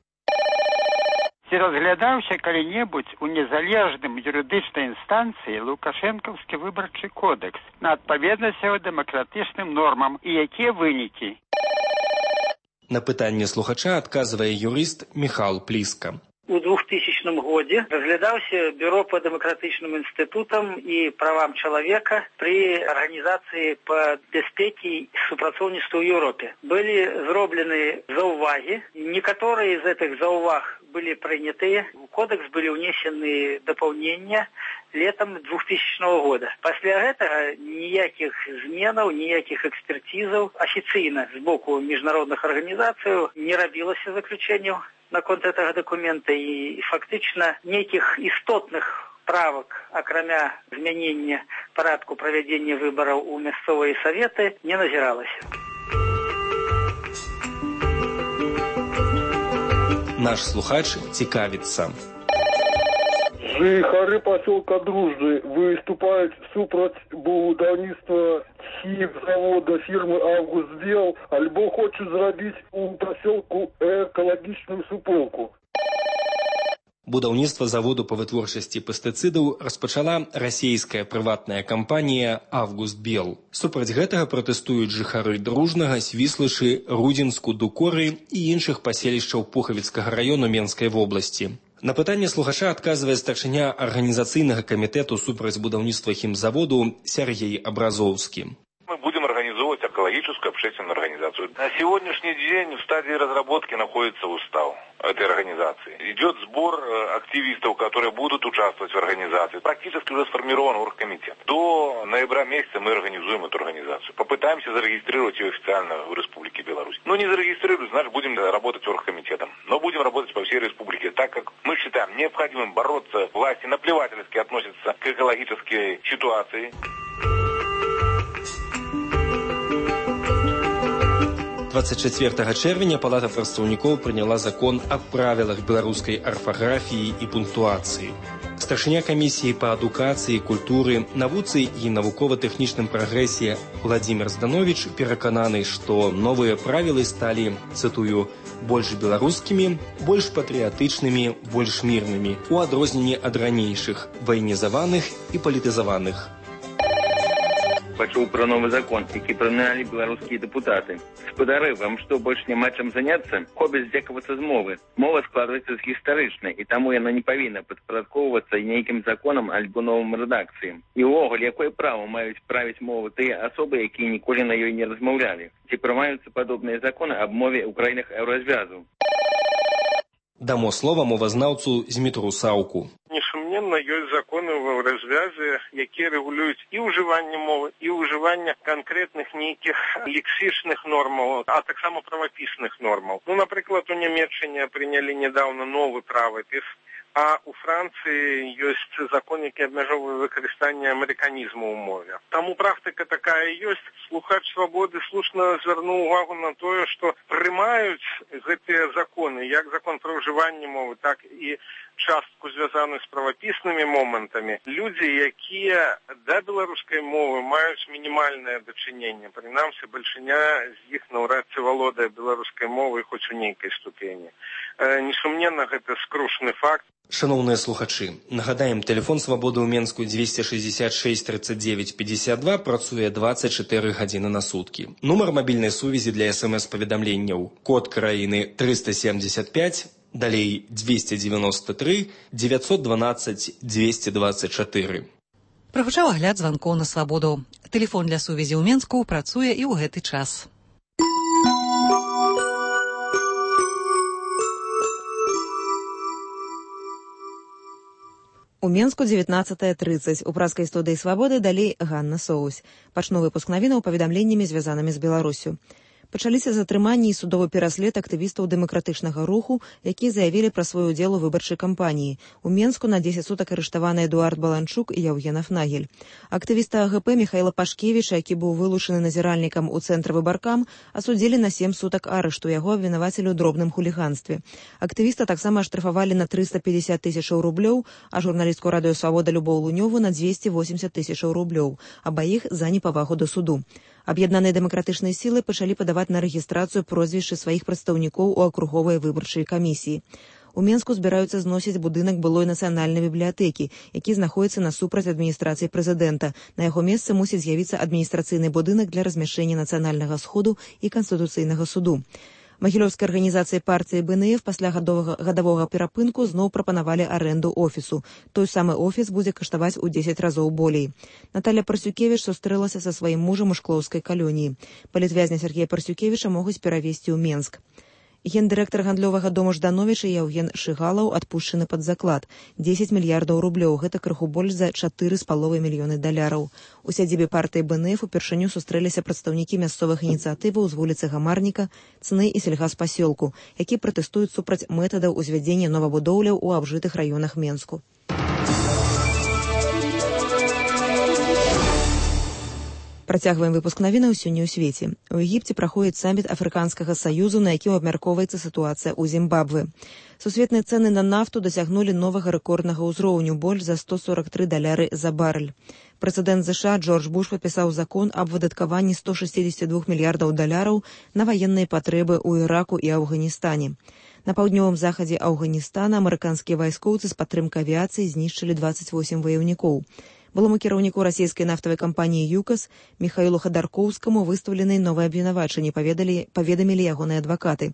Ці разглядаўся калі-небудзь у незалежным юрыдычнай інстанцыі лукашэнкаўскі выбарчы кодэкс на адпаведнасць яго дэмакратычным нормам і якія вынікі? На пытанне слухача адказвае юрыст Міхал Пліска. У двухтысячным годзе разглядаўся бюро по дэмакратычным інстытутам і правам чалавека пры арганізацыі па бяспекі і супрацоўніцтву ў Еўропе. Былі зроблены заўвагі. Некаторыя з гэтых заўваг былі прынятыя. У кодекс былі ўнесены дапаўнення летом двухтысячного года. Пасля гэтага ніякіх зменаў, ніякіх экспертизаў афіцыйна з боку міжнародных арганізацый не рабілася заключэнняў наконт гэтага дакумента, і фактычна нейкіх істотных правак, акрамя змянення парадку правядзення выбараў у мясцовыя саветы, не назіралася. Наш слухач цікавіцца. Жыхары пасёлка Дружны выступаюць супраць будаўніцтва хімзавода фірмы «Августбел», альбо хочуць зрабіць у пасёлку экалагічную суполку. Будаўніцтва заводу па вытворчасці пестыцыдаў распачала расійская прыватная кампанія «Августбел». Супраць гэтага пратэстуюць жыхары Дружнага, Свіслачы, Рудзінску, Дукоры і іншых паселішчаў Пухавіцкага раёну Менскай вобласці. На пытанне слухача адказвае старшыня арганізацыйнага камітэту супраць будаўніцтва хімзаводу Сергей Абразоўскі. Мы будем организовывать экологическую общественную организацию. На сегодняшний день в стадии разработки находится устав этой организации. Идет сбор активистов, которые будут участвовать в организации. Практически уже сформирован оргкомитет. До ноября месяца мы организуем эту организацию. Попытаемся зарегистрировать ее официально в Республике Беларусь. Ну, не зарегистрируем, значит, будем работать оргкомитетом. Но будем работать по всей республике, так как мы считаем необходимым бороться. Власти наплевательски относятся к экологической ситуации. двадцать чацвёртага чэрвеня палата прадстаўнікоў прыняла закон аб правілах беларускай арфаграфіі і пунктуацыі. Старшыня камісіі па адукацыі, культуры, навуцы і навукова-тэхнічным прагрэсе Владзімир Здановіч перакананы, што новыя правілы сталі, цытую, больш беларускімі, больш патрыятычнымі, больш мірнымі, у адрозненні ад ранейшых, ваенізаваных і палітызаваных. Пачуў пра новы закон, які прынялі беларускія дэпутаты. Спадары, вам што, больш няма чым заняцца? Хобіць здзекавацца з мовы. Мова складваецца з гістарычнай, і таму яна не павінна падпарадкоўвацца нейкім законам альбо новым рэдакцыям. І ўвогуле, якое права маюць правіць мову тыя асобы, якія ніколі на ёй не размаўлялі? Ці прымаюцца падобныя законы аб мове ў краінах еўразвязу? Дамо слова мовазнаўцу Змітру Саўку. Несумненна, ёсць законы ў развязе, якія рэгулююць і ўжыванне мовы, і ўжыванне канкрэтных нейкіх лексічных нормаў, а таксама правапісных нормаў. Ну, напрыклад, у Нямецчыне прынялі нядаўна новы правапіс а у Францыі ёсць закон, які абмяжоўвае выкарыстанне амерыканізму ў мове. Таму практыка такая ёсць. Слухач свабоды слушна звярнуў увагу на тое, што прымаюць гэтыя законы, як закон пра ўжыванне мовы, так і частку звязаную з правапіснымі момантамі. Людзі, якія да беларускай мовы маюць мінімальнае дачыненне, прынамсі бальшыня з іх наўрад ці валодае беларускай мовай хоць у нейкай ступені. Э, несумненна, гэта скрушны факт. Шановныя слухачы, нагадаем, тэлефон свабоды ў Менску двести шестьдесят шесть тридцать девять пятьдесят два працуе двадцать четыре гадзіны на суткі. Нумар мабільнай сувязі для эс-эм-эс-паведамленняў. Код краіны триста семьдесят пять, далей двести девяносто три девятьсот двенадцать двести двадцать четыре. Прагучаў агляд званкоў на свабоду. Тэлефон для сувязі ў Менску працуе і ў гэты час. У Менску дзевятнадцатая тридцать. У праскай студыі «Свабоды» далей Ганна Соусь. Пачну выпуск навінаў паведамленнямі, звязанымі з Беларусю. Пачаліся затрыманні і судовы пераслед актывістаў дэмакратычнага руху, якія заявілі пра свой удзел у выбарчай кампаніі. У Менску на дзесяць сутак арыштаваны Эдуард Баланчук і Яўген Афнагель. Актывіста АГП Михайла Пашкевіча, які быў вылучаны назіральнікам у цэнтры выбаркам, асудзілі на сем сутак арышту, яго абвінавацілі ў дробным хуліганстве. Актывіста таксама аштрафавалі на триста пятьдесят тысячаў рублёў, а журналістку радыё «Свабода» Любоў Лунёву на двести восемьдесят тысячаў рублёў, абаіх за непавагу да суду. Аб'яднаныя дэмакратычныя сілы пачалі падаваць на рэгістрацыю прозвішчы сваіх прадстаўнікоў у акруговай выбарчай камісіі. У Менску збіраюцца зносіць будынак былой нацыянальнай бібліятэкі, які знаходзіцца насупраць адміністрацыі прэзідэнта. На яго месцы мусіць з'явіцца адміністрацыйны будынак для размяшчэння нацыянальнага сходу і канстытуцыйнага суду. Магілёўскай арганізацыі партыі Бэ Эн Эф пасля гадовага, гадавога перапынку зноў прапанавалі арэнду офісу. Той самы офіс будзе каштаваць у дзесяць разоў болей. Наталя Парсюкевіч сустрэлася са сваім мужам у Шклоўскай калоніі. Палітвязня Сергея Парсюкевіча могуць перавесці ў Менск. Гендырэктар гандлёвага дому Ждановіча Яўген Шыгалаў адпушчаны пад заклад. дзесяць мільярдаў рублёў, гэта крыху больш за чатыры з паловай мільёны даляраў. У сядзібе партыі Бэ Эн Эф упершыню сустрэліся прадстаўнікі мясцовых ініцыятываў з вуліцы Гамарніка, Цны і сельгаспасёлку, які пратэстуюць супраць метадаў узвядзення новабудоўляў у абжытых раёнах Менску. Працягваем выпуск навінаў сёння ў свеце. У Егіпце праходзіць саміт Афрыканскага саюзу, на якім абмяркоўваецца сітуацыя ў Зімбабве. Сусветныя цэны на нафту дасягнулі новага рэкорднага ўзроўню, больш за сто сорок тры даляры за барэль. Прэзідэнт ЗША Джордж Буш падпісаў закон аб выдаткаванні сто шестьдесят два мільярдаў даляраў на ваенныя патрэбы ў Іраку і Афганістане. На паўднёвым захадзе Афганістана амерыканскія вайскоўцы з падтрымкай авіяцыі знішчылі двадцать восемь ваяўнікоў. Былому кіраўніку расійскай нафтавай кампаніі «ЮКАС» Міхаілу Хадаркоўскаму выстаўлены новыя абвінавачанні, паведамілі ягоныя адвакаты.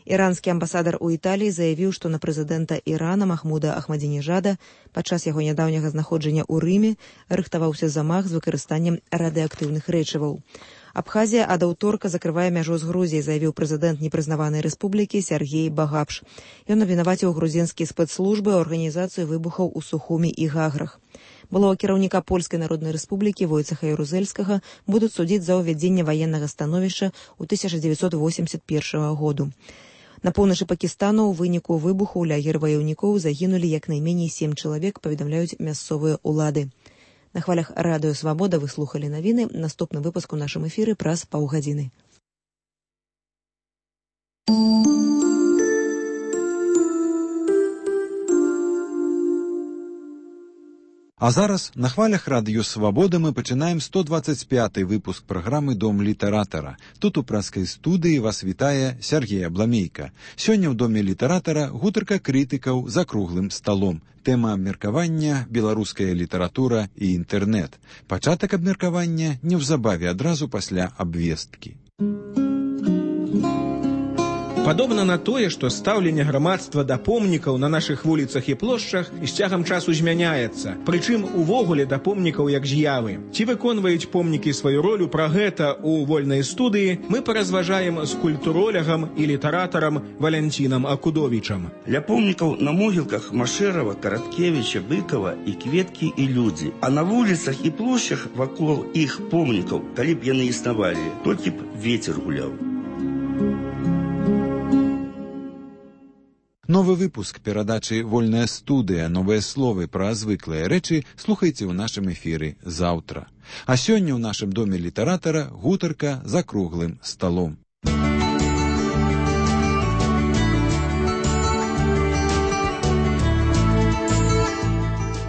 Іранскі амбасадар у Італіі заявіў, што на прэзідэнта Ірана Махмуда Ахмадзінежада падчас яго нядаўняга знаходжання ў Рыме рыхтаваўся замах з выкарыстаннем радыеактыўных рэчываў. Абхазія ад аўторка закрывае мяжу з Грузіяй, заявіў прэзідэнт непрызнаванай рэспублікі Сергей Багапш. Ён абвінаваціў грузінскія спецслужбы ў арганізацыю выбухаў у Сухумі і Гаграх. Былого кіраўніка Польскай народнай рэспублікі Войцеха Ярузельскага будуць судзіць за ўвядзенне ваеннага становішча ў тысяча дзевяцьсот восемьдесят першага году. На поўначы Пакістану ў выніку выбуху ў лагер ваяўнікоў загінулі як найменей сем чалавек, паведамляюць мясцовыя ўлады. На хвалях радыё «Свабода» вы слухалі навіны. Наступны выпуск у нашым эфіры праз паўгадзіны. А зараз на хвалях радыё «Свабода» мы пачынаем сто двадцать пяты выпуск праграмы «Дом літаратара». Тут у праскай студыі вас вітае Сергей Абламейка. Сёння ў доме літаратара гутарка крытыкаў за круглым сталом. Тэма абмеркавання «Беларуская літаратура і інтэрнэт». Пачатак абмеркавання неўзабаве адразу пасля абвесткі. Падобна на тое, што стаўленне грамадства да помнікаў на нашых вуліцах і плошчах з цягам часу змяняецца. Прычым увогуле да помнікаў як з'явы. Ці выконваюць помнікі сваю ролю, пра гэта ў вольнай студыі мы паразважаем з культуролягам і літаратарам Валянцінам Акудовічам. Ля помнікаў на могілках Машэрава, Караткевіча, Быкава і кветкі і людзі. А на вуліцах і плошчах вакол іх помнікаў, калі б яны існавалі, толькі б вецер гуляў. Новы выпуск перадачы «Вольная студыя. Новыя словы пра звыклыя рэчы» слухайце ў нашым эфіры заўтра. А сёння ў нашым доме літаратара гутарка за круглым сталом.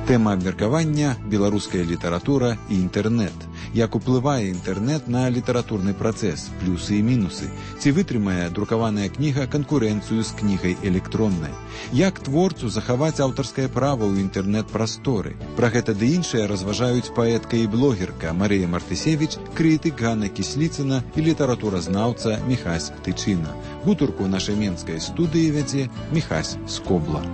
Тэма абмеркавання – беларуская літаратура і інтэрнэт. Як уплывае інтэрнэт на літаратурны працэс, плюсы і мінусы. Ці вытрымае друкаваная кніга канкурэнцыю з кнігай электроннай. Як творцу захаваць аўтарскае права ў інтэрнэт-прасторы. Пра гэта ды іншае разважаюць паэтка і блогерка Марыя Мартысевіч, крытык Ганна Кісліцына і літаратуразнаўца Міхась Тычына. Гутарку нашай менскай студыі вядзе Міхась Скобла.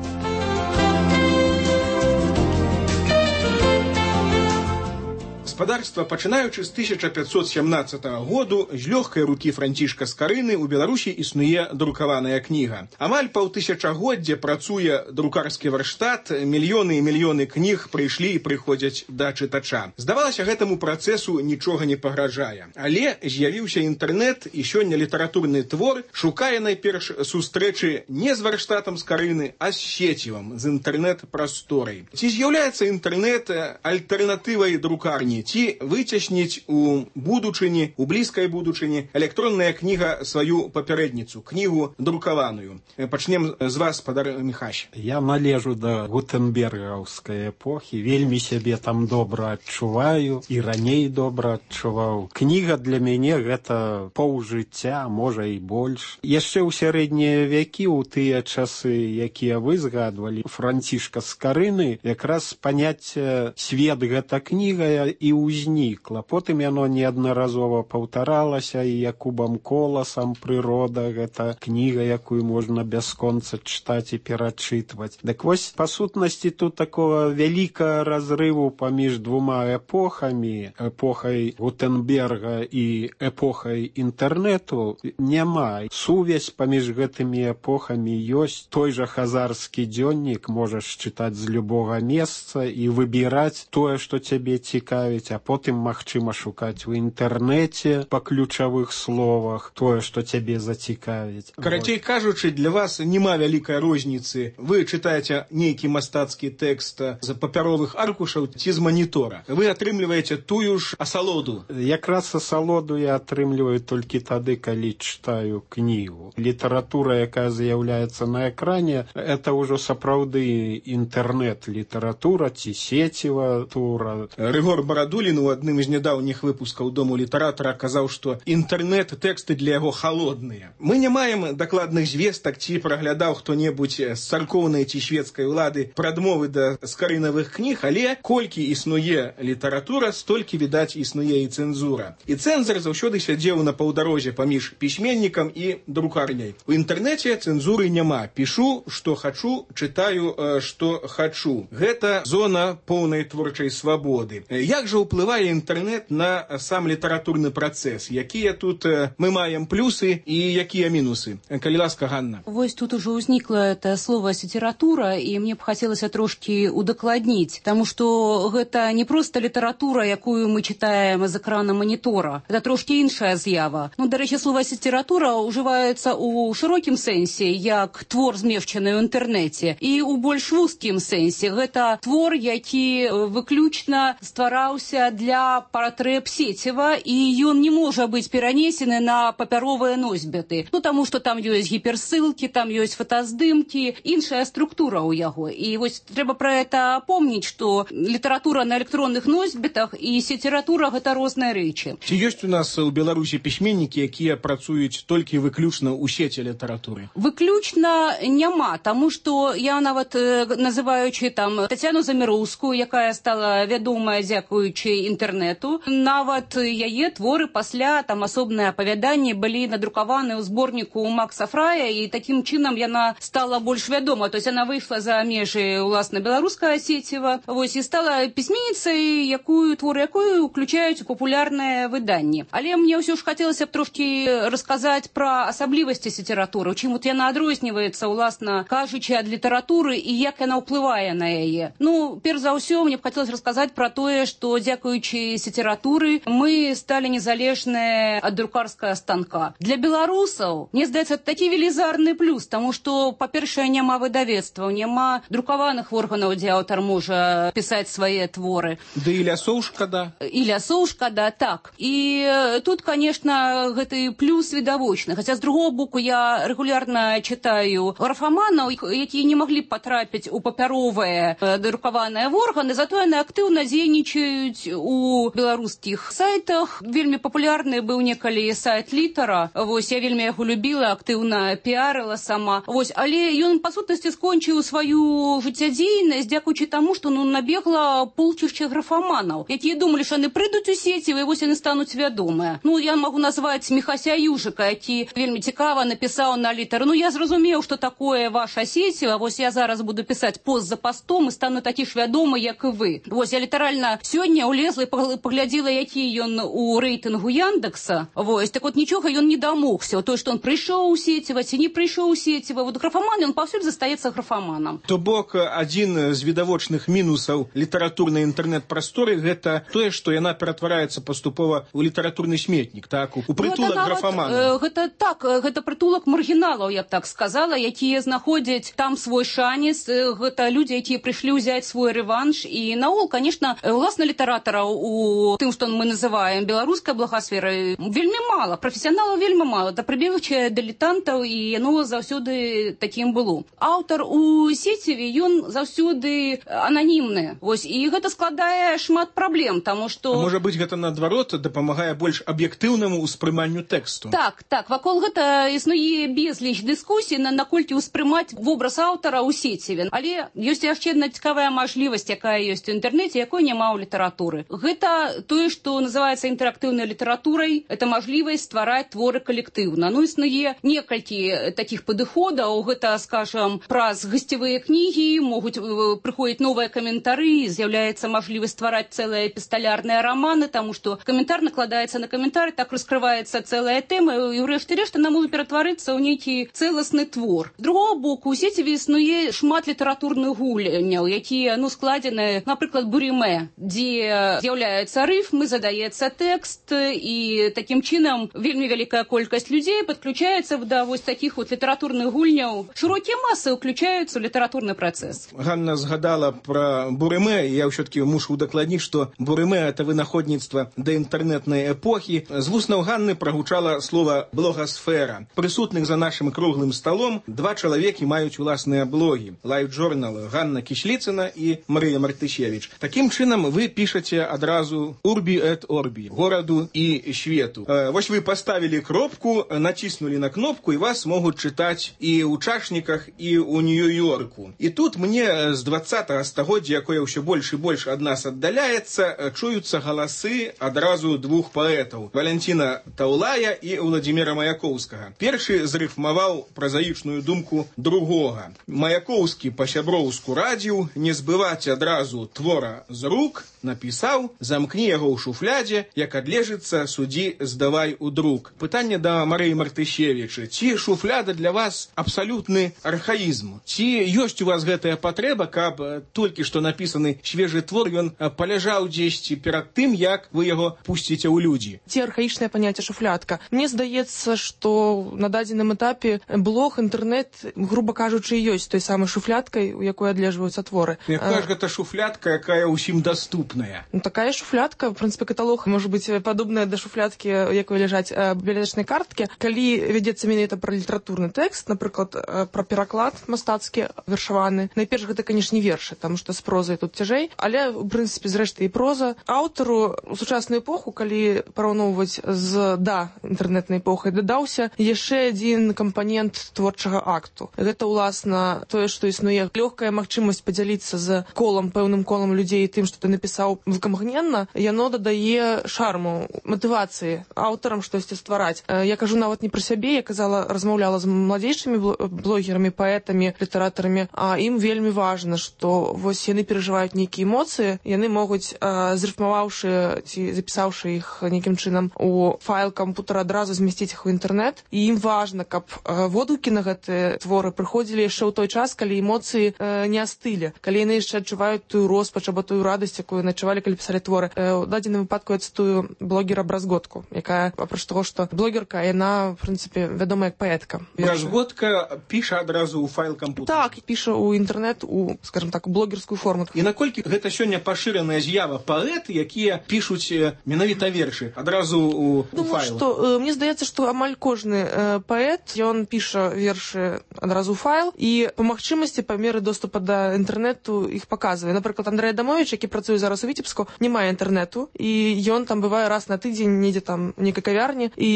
Гаспадарства, пачынаючы з тысяча пятьсот семнадцатага году, з лёгкай рукі Францішка Скарыны ў Беларусі існуе друкаваная кніга. Амаль паўтысячагоддзя працуе друкарскі варштат, мільёны і мільёны кніг прыйшлі і прыходзяць да чытача. Здавалася, гэтаму працэсу нічога не пагражае. Але з'явіўся інтэрнэт, і сёння літаратурны твор шукае найперш сустрэчы не з варштатам Скарыны, а з сецівам, з інтэрнэт-прасторай. Ці з'яўляецца інтэрнэт альтэрнатывай друкарні? Ці выцясніць у будучыні, у блізкай будучыні электронная кніга сваю папярэдніцу, кнігу друкаваную. Пачнем з вас, спадар Міхась. Я належу да гутенбергаўскай эпохі, вельмі сябе там добра адчуваю і раней добра адчуваў. Кніга для мяне гэта паўжыцця, можа і больш. Яшчэ ў сярэднія вякі, у тыя часы, якія вы згадвалі, Францішка Скарыны, якраз паняцце свет гэта кніга і ўзнікла. Потым яно неаднаразова паўтаралася і Якубам Коласам «Прырода» — гэта кніга, якую можна бясконца чытаць і перачытваць. Дык вось, па сутнасці, тут такого вялікага разрыву паміж двума эпохамі, эпохай Гутенберга і эпохай інтэрнэту, няма. Сувязь паміж гэтымі эпохамі ёсць. Той жа хазарскі дзённік можаш чытаць з любога месца і выбіраць тое, што цябе цікавіць, а потым магчыма шукаць у інтэрнэце па ключавых словах тое, што цябе зацікавіць. Карацей кажучы, для вас няма вялікай розніцы. Вы чытаеце нейкі мастацкі тэкст з папяровых аркушаў ці з манітора. Вы атрымліваеце тую ж асалоду. Якраз асалоду я атрымліваю толькі тады, калі чытаю кнігу. Літаратура, якая з'яўляецца на экране, это ўжо сапраўды інтэрнэт-літаратура ці сеціва тура. Рыгор Барадулін у адным з нядаўніх выпускаў Дому літаратара казаў, што інтэрнэт-тэксты для яго халодныя. Мы не маем дакладных звестак, ці праглядаў хто-небудзь з царкоўнай ці шведскай улады прадмовы да скарынавых кніг, але колькі існуе літаратура, столькі, відаць, існуе і цэнзура. І цэнзар заўсёды сядзеў на паўдарозе паміж пісьменнікам і друкарняй. У інтэрнэце цэнзуры няма. Пішу, што хачу, чытаю, што хачу. Гэта зона поўнай творчай свабоды. Як жа ўплывае інтэрнэт на сам літаратурны працэс? Якія тут мы маем плюсы і якія мінусы? Калі ласка, Ганна. Вось тут ужо ўзнікла это слово «література», і мне б хацелася трошкі удакладніць, таму што гэта не проста літаратура, якую мы чытаем з экрана манітора. Гэта трошкі іншая з'ява. Ну, дарэчы, слово «література» ўжываецца ў шырокім сэнсе, як твор, змешчаны ў інтэрнэце, і ў больш вузкім сэнсе. Гэта твор, які выключна ствараўся для патрэб сеціва, і ён не можа быць перанесены на папяровыя носьбіты. Ну, таму што там ёсць гіперссылкі, там ёсць фотаздымкі, іншая структура ў яго. І вось трэба пра гэта помніць, што літаратура на электронных носьбітах і сеціратура — гэта розныя рэчы. Ці ёсць у нас у Беларусі пісьменнікі, якія працуюць толькі выключна ў сеці літаратуры? Выключна няма, таму што я нават называючы там Тацяну Заміроўскую, якая стала вядомая дзякуючы інтэрнэту, нават яе творы пасля там асобныя апавяданні былі надрукаваны ў зборніку Макса Фрая, і такім чынам яна стала больш вядома. То есть она выйшла за межы уласна беларускага сеціва, вось, і стала пісьменніцай, якую творы якую уключаюць у папулярныя выданні. Але мне ўсё ж хацелася б трошкі расказаць пра асаблівасці літаратуры, чым вот яна адрозніваецца, уласна кажучы, ад літаратуры і як яна ўплывае на яе. Ну, перш за ўсё, мне б хацелася расказаць пра тое, што дзякуючы сеціратуры мы сталі незалежныя ад друкарскага станка. Для беларусаў, мне здаецца, такі велізарны плюс, таму што, па-першае, няма выдавецтваў, няма друкаваных органаў, дзе аўтар можа пісаць свае творы. Да і лясоў шкада. І лясоў шкада, так. І тут, конечно, гэты плюс відавочны. Хаця, з другого боку, я регулярна читаю графаманаў, якія не маглі б патрапіць у папяровыя друкаваныя органы, зато яны актыўна дзейнічаюць у беларускіх сайтах. Вельмі папулярны быў некалі сайт Літара. Вось, я вельмі яго любіла, актыўна піарыла сама. Вось, але ён, па сутнасці, скончыў сваю жыццядзейнасць, дзякуючы таму, што ну, набегла полчышча графаманаў, якія думалі, што яны прыйдуць у сеці, і вось яны стануць вядомыя. Ну, я магу назваць Міхася Южыка, які вельмі цікава напісаў на Літар. Ну, я зразумеў, што такое ваша сеціва, вось я зараз буду пісаць пост за постом і стану такі ж вядомы, як і вы. Вось, я літаральна сёння улезла і паглядзела, які ён у рэйтынгу Яндекса. Вось, так вот нічога ён не дамогся. То, што он прыйшоў у сеціва, ці не прыйшоў у сеціва. Вот графаман, ён паўсюль застаецца графаманам. То бок, адзін з відавочных мінусаў літаратурнай інтэрнэт-прасторы гэта тое, што яна ператвараецца паступова ў літаратурны сметнік, так, у прытулак графаманаў. Гэта так, гэта прытулак маргіналаў, я б так сказала, якія знаходзяць там свой шанец. Гэта людзі, якія прыйшлі ўзяць свой рэванш. І наогул, конечно, уласна літаратараў у тым, што мы называем беларускай благасферай, вельмі мала, прафесіяналаў вельмі мала. Да прыбегчае дылетантаў, і яно заўсёды такім было. Аўтар у сеціве, ён заўсёды ананімны. Вось, і гэта складае шмат праблем, таму што... А можа быць, гэта наадварот дапамагае больш аб'ектыўнаму ўспрыманню тэксту? Так, так, вакол гэта існуе безліч дыскусій, на наколькі ўспрымаць вобраз аўтара ў сеціве. Але ёсць яшчэ адна цікавая мажлівасць, якая ёсць у інтэрнэце, якой няма ў літаратуры. Гэта тое, што называецца інтэрактыўнай літаратурай, это мажлівасць ствараць творы калектыўна. Ну, існуе некалькі такіх падыходаў, гэта, скажам, праз гасцевыя кнігі, могуць прыходзіць новыя каментары, з'яўляецца мажлівасць ствараць цэлыя эпісталярныя раманы, таму што каментар накладаецца на каментар, так раскрываецца цэлая тэма, і ўрэшце рэшт яна можа ператварыцца ў нейкі цэласны твор. З другого боку, у сеціве існуе шмат літаратурных гульняў, якія, ну, складзены, напрыклад, бурімэ, дзе з'яўляецца рыфмы, задаецца тэкст, і такім чынам вельмі вялікая колькасць людзей падключаецца да вось такіх вот літаратурных гульняў. Шырокія масы ўключаюцца ў літаратурны працэс. Ганна згадала пра бурымэ, я ўсё-таки мушу удакладніць, што бурымэ — это вынаходніцтва да інтэрнэтнай эпохі. З вуснаў Ганны прагучала слова «блогасфера». Прысутных за нашым круглым сталом два чалавекі маюць уласныя блогі. Лайф-журнал Ганна Кішліцына і Марыя Мартышевіч. Такім чынам вы пішаце адразу «Урбі эт орбі» — гораду і свету. Вось вы паставілі кропку, націснулі на кнопку, і вас могуць чытаць і ў чашніках, і ў Нью-Йорку. І тут мне з двадцатага стагоддзя, якое ўсё больш і больш ад нас аддаляецца, чуюцца галасы адразу двух паэтаў — Валянціна Таўлая і Владзіміра Маяковскага. Першы зрыфмаваў празаічную думку другога. Маяковскі па-сяброўску радзіў не збываць адразу твора з рук, напісаў: замкні яго ў шуфлядзе, як адлежыцца, судзі, здавай у друк. Пытанне да Марыі Мартышевіча: ці шуфляда для вас абсалютны архаізм? Ці ёсць у вас гэтая патрэба, каб толькі што напісаны свежы твор ён паляжаў дзесьці перад тым, як вы яго пусціце ў людзі? Ці архаічнае паняцце шуфлядка? Мне здаецца, што на дадзеным этапе блог, інтэрнэт, груба кажучы, ёсць той самай шуфлядкай, у якой адлежваюцца творы. Якая ж гэта шуфлядка, якая ўсім даступная? Ну, такая шуфлядка, в прынцыпе, каталог можа быць падобная да шуфлядкі, у якой ляжаць бібліятэчнай карткі. Калі вядзецца менавіта пра літаратурны тэкст, напрыклад, пра пераклад мастацкі вершаваны, найперш гэта, канешне, вершы, таму што з прозай тут цяжэй, але, у прынцыпе, зрэшты, і проза. Аўтару у сучасную эпоху, калі параўноўваць з да інтэрнэтнай эпохай, дадаўся яшчэ адзін кампанент творчага акту. Гэта, уласна, тое, што існуе лёгкая магчымасць падзяліцца з колам, пэўным колам людзей тым, што ты напісаў выкамгненна, яно дадае шарму, матывацыі аўтарам штосьці ствараць. Я кажу нават не пра сябе, я казала, размаўляла з маладзейшымі блогерамі, паэтамі, літаратарамі, а ім вельмі важна, што вось яны перажываюць нейкія эмоцыі, яны могуць, зрыфмаваўшы ці запісаўшы іх нейкім чынам у файл кампутара, адразу змясціць іх у інтэрнэт, і ім важна, каб водгукі на гэтыя творы прыходзілі яшчэ ў той час, калі эмоцыі не астылі, калі яны яшчэ адчуваюць тую роспач або тую радасць, якую начувалі, калі пісалі творы. У дадзеным выпадку я цытую блогера Бразготку, якая, апроч таго, што блогерка, яна, в прынцыпе, вядомая як паэтка. Бразготка піша адразу ў файл кампутера. Так, піша ў інтэрнэт, у, скажем так, у блогерскую форму. І наколькі гэта сёння пашыраная з'ява паэты, якія пішуць менавіта вершы адразу ў, у файл? Што, э, мне здаецца, што амаль кожны э, паэт, ён піша вершы адразу ў файл, і па магчымасці, па меры доступа да інтэрнэту іх паказвае. Напрыклад, Андрэй Адамович, які працуе зараз у Віцебску, не мае інтэрнэту, і ён там бывае раз на тыдзень, недзе там у нейкай кавярні, і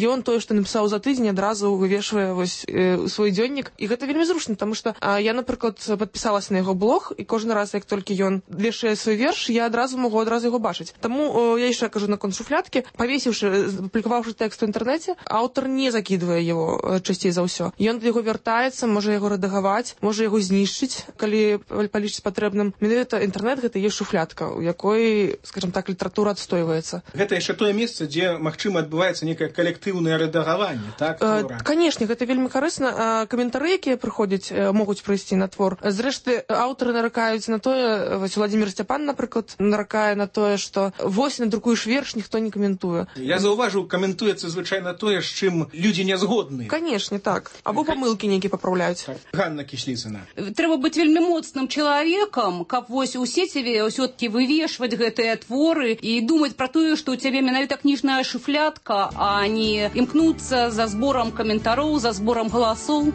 ён тое, што напісаў за тыдзень, адразу вывешвае вось э, свой дзённік. І гэта вельмі зручна, таму што а, я, напрыклад, падпісалася на яго блог, і кожны раз, як толькі ён вешае свой верш, я адразу магу адразу яго бачыць. Таму э, я яшчэ кажу наконт шуфлядкі, павесіўшы, публікаваўшы тэкст у інтэрнэце, аўтар не закідвае яго э, часцей за ўсё. Ён да яго вяртаецца, можа яго рэдагаваць, можа яго знішчыць, калі палічыць патрэбным. Менавіта інтэрнэт гэта ёсць шуфлядка, у якой, скажем так, літаратура адстойваецца. Гэта яшчэ тое месца, дзе, магчыма, адбываецца некае калектыўнае рэдагаванне, так? Э, канешне, гэта вельмі карысна. Каментары, якія прыходзяць, могуць прыйсці на твор. Зрэшты, аўтары наракаюць на тое, вось Владзімір Сцяпан, напрыклад, наракае на тое, што вось надрукуеш верш, ніхто не каментуе. Я заўважыў, каментуецца звычайна тое, з чым людзі не згодны. Канешне, так. Або памылкі нейкія папраўляюць. Так. Ганна Кісліцына. Трэба быць вельмі моцным чалавекам, каб вось у сеціве ўсё-такі вывешваць гэтыя творы і думаць пра тое, што ў цябе менавіта кніжная шуфлядка, а не імкнуцца за зборам каментароў, за зборам галасоў.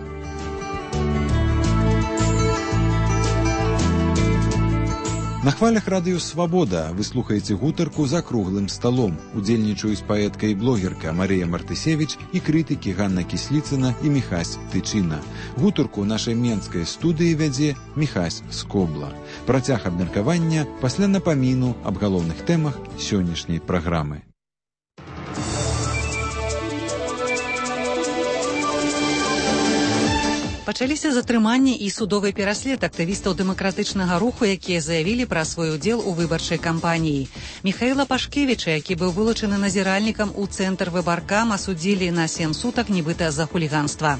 На хвалях радыё «Свабода» вы слухаеце гутарку за круглым сталом. Удзельнічаюць паэтка і блогерка Марыя Мартысевіч і крытыкі Ганна Кісліцына і Міхась Тычына. Гутарку ў нашай менскай студыі вядзе Міхась Скобла. Працяг абмеркавання пасля напаміну аб галоўных тэмах сённяшняй праграмы. Пачаліся затрыманні і судовы пераслед актывістаў дэмакратычнага руху, якія заявілі пра свой удзел у выбарчай кампаніі. Міхаіла Пашкевіча, які быў вылучаны назіральнікам у цэнтр выбаркам, асудзілі на сем сутак нібыта за хуліганства.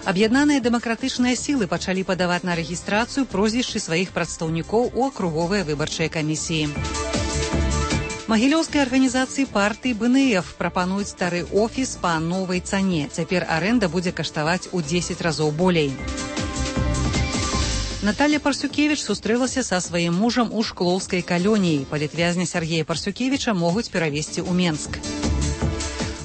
Аб'яднаныя дэмакратычныя сілы пачалі падаваць на рэгістрацыю прозвішчы сваіх прадстаўнікоў у акруговыя выбарчыя камісіі. Магілёўскай арганізацыі партыі бэ эн эф прапануюць стары офіс па новай цане. Цяпер арэнда будзе каштаваць у дзесяць разоў болей. Наталья Парсюкевіч сустрэлася са сваім мужам у шклоўскай калоніі. Палітвязня Сергея Парсюкевіча могуць перавезці ў Менск.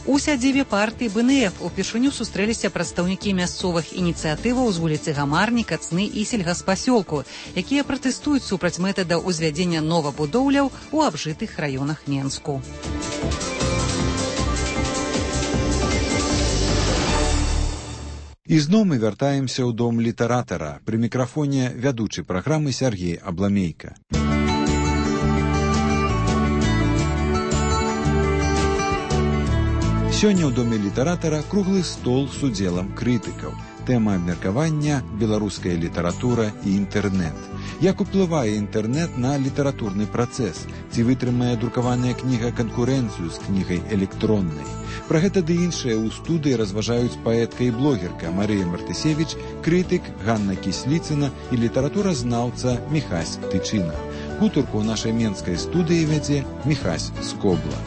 У сядзібе партыі бэ эн эф упершыню сустрэліся прадстаўнікі мясцовых ініцыятываў з вуліцы Гамарні, Кацны і сельгаспасёлку, якія пратэстуюць супраць метада ўзвядзення новабудоўляў у абжытых раёнах Менску. І зноў мы вяртаемся ў дом літаратара. Пры мікрафоне вядучы праграмы Сергей Абламейка. Сёння ў доме літаратара круглы стол з удзелам крытыкаў. Тэма абмеркавання – беларуская літаратура і інтэрнэт. Як уплывае інтэрнэт на літаратурны працэс? Ці вытрымае друкаваная кніга канкурэнцыю з кнігай электроннай? Пра гэта ды іншае ў студыі разважаюць паэтка і блогерка Марыя Мартысевіч, крытык Ганна Кісліцына і літаратуразнаўца Міхась Тычына. Гутарку ў нашай менскай студыі вядзе Міхась Скобла.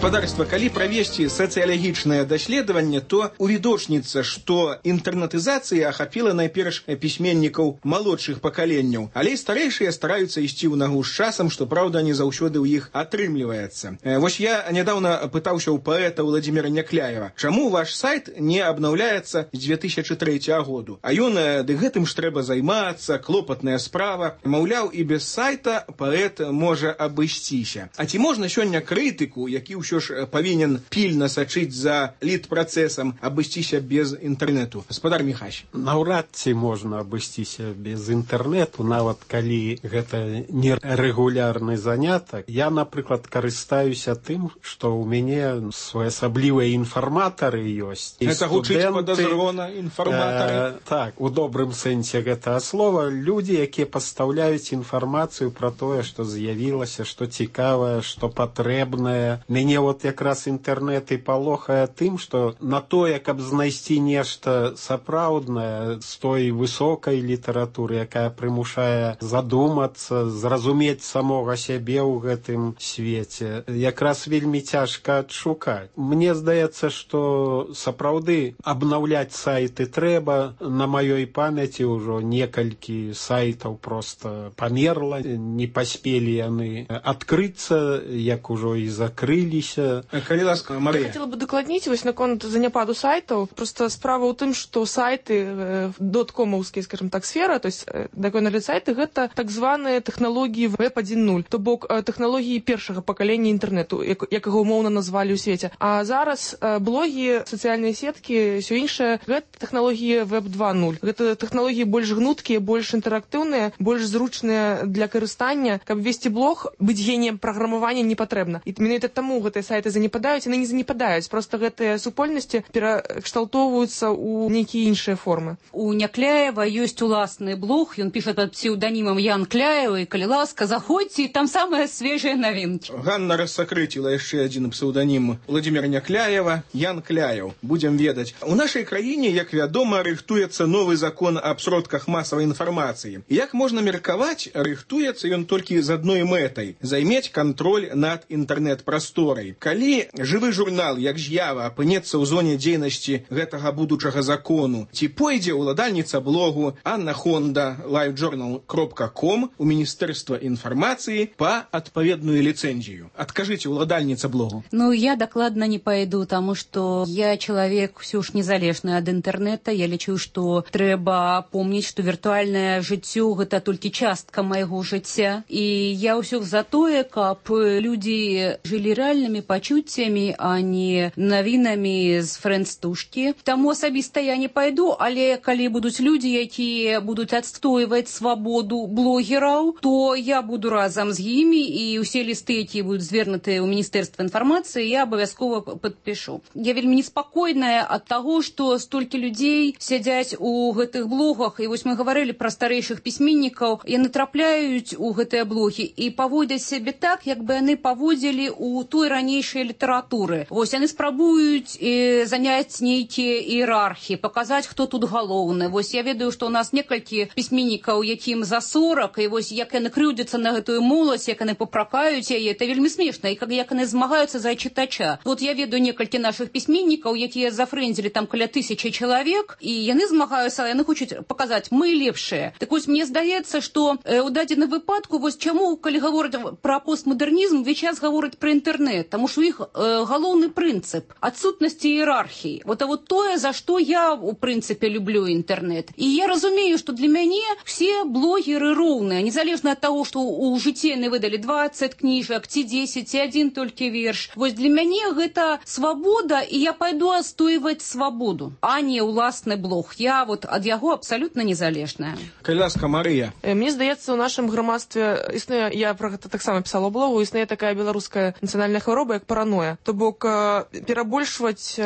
Гаспадарства, калі правесці сацыялагічнае даследаванне, то увідочніцца, што інтэрнетызацыя ахапіла найперш пісьменнікаў малодшых пакаленняў, але і старэйшыя стараюцца ісці ў нагу з часам, што, праўда, не заўсёды ў іх атрымліваецца. Вось я нядаўна пытаўся ў паэта Владзіміра Някляева, чаму ваш сайт не абнаўляецца з дзве тысячы трэцяга году? А ён, ды гэтым ж трэба займацца, клопатная справа. Маўляў, і без сайта паэт можа абысціся. А ці можна сёння крытыку, які ўсё ж павінен пільна сачыць за літпрацэсам, абысціся без інтэрнэту? Гаспадар Міхась. Наўрад ці можна абысціся без інтэрнэту, нават калі гэта не рэгулярны занятак. Я, напрыклад, карыстаюся тым, што ў мяне своеасаблівыя інфарматары ёсць. Гэта гучыць падазрона, інфарматары? Э, так, у добрым сэнсе гэтага слова. Людзі, якія пастаўляюць інфармацыю пра тое, што з'явілася, што цікавае, што патрэбнае. Мяне вот якраз інтэрнэт і палохае тым, што на тое, каб знайсці нешта сапраўднае з той высокай літаратуры, якая прымушае задумацца, зразумець самога сябе ў гэтым свеце, якраз вельмі цяжка адшукаць. Мне здаецца, што сапраўды абнаўляць сайты трэба. На маёй памяці ўжо некалькі сайтаў проста памерла, не паспелі яны адкрыцца, як ужо і закрыліся. Калі ласка, Марыя. Я хотела бы докладніць вось наконт заняпаду сайтаў. Просто справа ў тым, што сайты доткомаўскія, скажем так, сфера, то есть даконалі сайты, гэта так званыя тэхналогіі веб адзін нуль, то бок тэхналогіі першага пакалення інтэрнэту, як, як яго умоўна назвалі ў свеце. А зараз блогі, сацыяльныя сеткі, ўсё іншае, гэта тэхналогіі веб два нуль. Гэта тэхналогіі больш гнуткія, больш інтэрактыўныя, больш зручныя для карыстання. Каб весці блог, быць геніем праграмавання не патрэбна. І менавіта таму гэтыя сайты занепадаюць, яны не занепадаюць, проста гэтыя супольнасці перакшталтоўваюцца ў нейкія іншыя формы. У Някляева ёсць уласны блог, ён піша пад псеўданімам Ян Кляева, і калі ласка, заходзьце, і там самыя свежыя навінкі. Ганна рассакрыціла яшчэ адзін псеўданім Владимира Някляева, Ян Кляев. Будзем ведаць. У нашай краіне, як вядома, рыхтуецца новы закон аб сродках масавай інфармацыі. Як можна меркаваць, рыхтуецца ён толькі з адной мэтай – займець кантроль над інтэрнэт-прасторай. Калі жывы журнал, як з'ява, апынецца ў зоне дзейнасці гэтага будучага закону, ці пойдзе ўладальніца блогу Анна Хонда лайвджорнал кропка ком у Міністэрства інфармацыі па адпаведную ліцэнзію. Адкажыце, ўладальніца блогу. Ну, я дакладна не пойду, таму што я чалавек ўсё ж незалежны ад інтэрнэта. Я лічу, што трэба помніць, што віртуальнае жыццё гэта толькі частка майго жыцця. І я ўсё за тое, каб людзі жылі рэальнымі пачуццямі, а не навінамі з фрэндстушкі. Таму асабіста я не пайду, але калі будуць людзі, якія будуць адстойваць свабоду блогераў, то я буду разам з імі, і ўсе лісты, якія будуць звернутыя ў Міністэрства інфармацыі, я абавязкова падпішу. Я вельмі неспакойная ад таго, што столькі людзей сядзяць у гэтых блогах, і вось мы гаварылі пра старэйшых пісьменнікаў, яны трапляюць у гэтыя блогі і паводзяць сябе так, як бы яны паводзілі ў той ранейшай літаратуры. Вось яны спрабуюць э, заняць нейкія іерархіі, паказаць, хто тут галоўны. Вось я ведаю, што ў нас некалькі пісьменнікаў, якім за сорак, і вось як яны крыўдзяцца на гэтую моладзь, як яны папракаюць яе, это вельмі смешна, і як яны змагаюцца за чытача. Вот я ведаю некалькі нашых пісьменнікаў, якія зафрэндзілі там каля тысячы чалавек, і яны змагаюцца, яны хочуць паказаць, мы лепшыя. Так вось мне здаецца, што э, у дадзеным выпадку, вось чаму, калі гавораць пра постмадэрнізм, увесь час гавораць пра інтэрнэт, таму што іх э, галоўны прынцып адсутнасці іерархіі. Вот а вот тое, за што я у прынцыпе люблю інтэрнэт. І я разумею, што для мяне все блогеры роўныя, незалежна ад таго, што ў жыцці яны выдалі дваццаць кніжак, ці дзесяць, ці адзін толькі верш. Вось для мяне гэта свабода, і я пайду адстойваць свабоду, а не ўласны блог. Я вот ад яго абсалютна незалежная. Калі ласка, Марыя. Мне здаецца, у нашым грамадстве існуе, я про гэта таксама пісала ў блогу, існуе такая беларуская нацыянальная хвароба, як параноя. То бок перабольшваць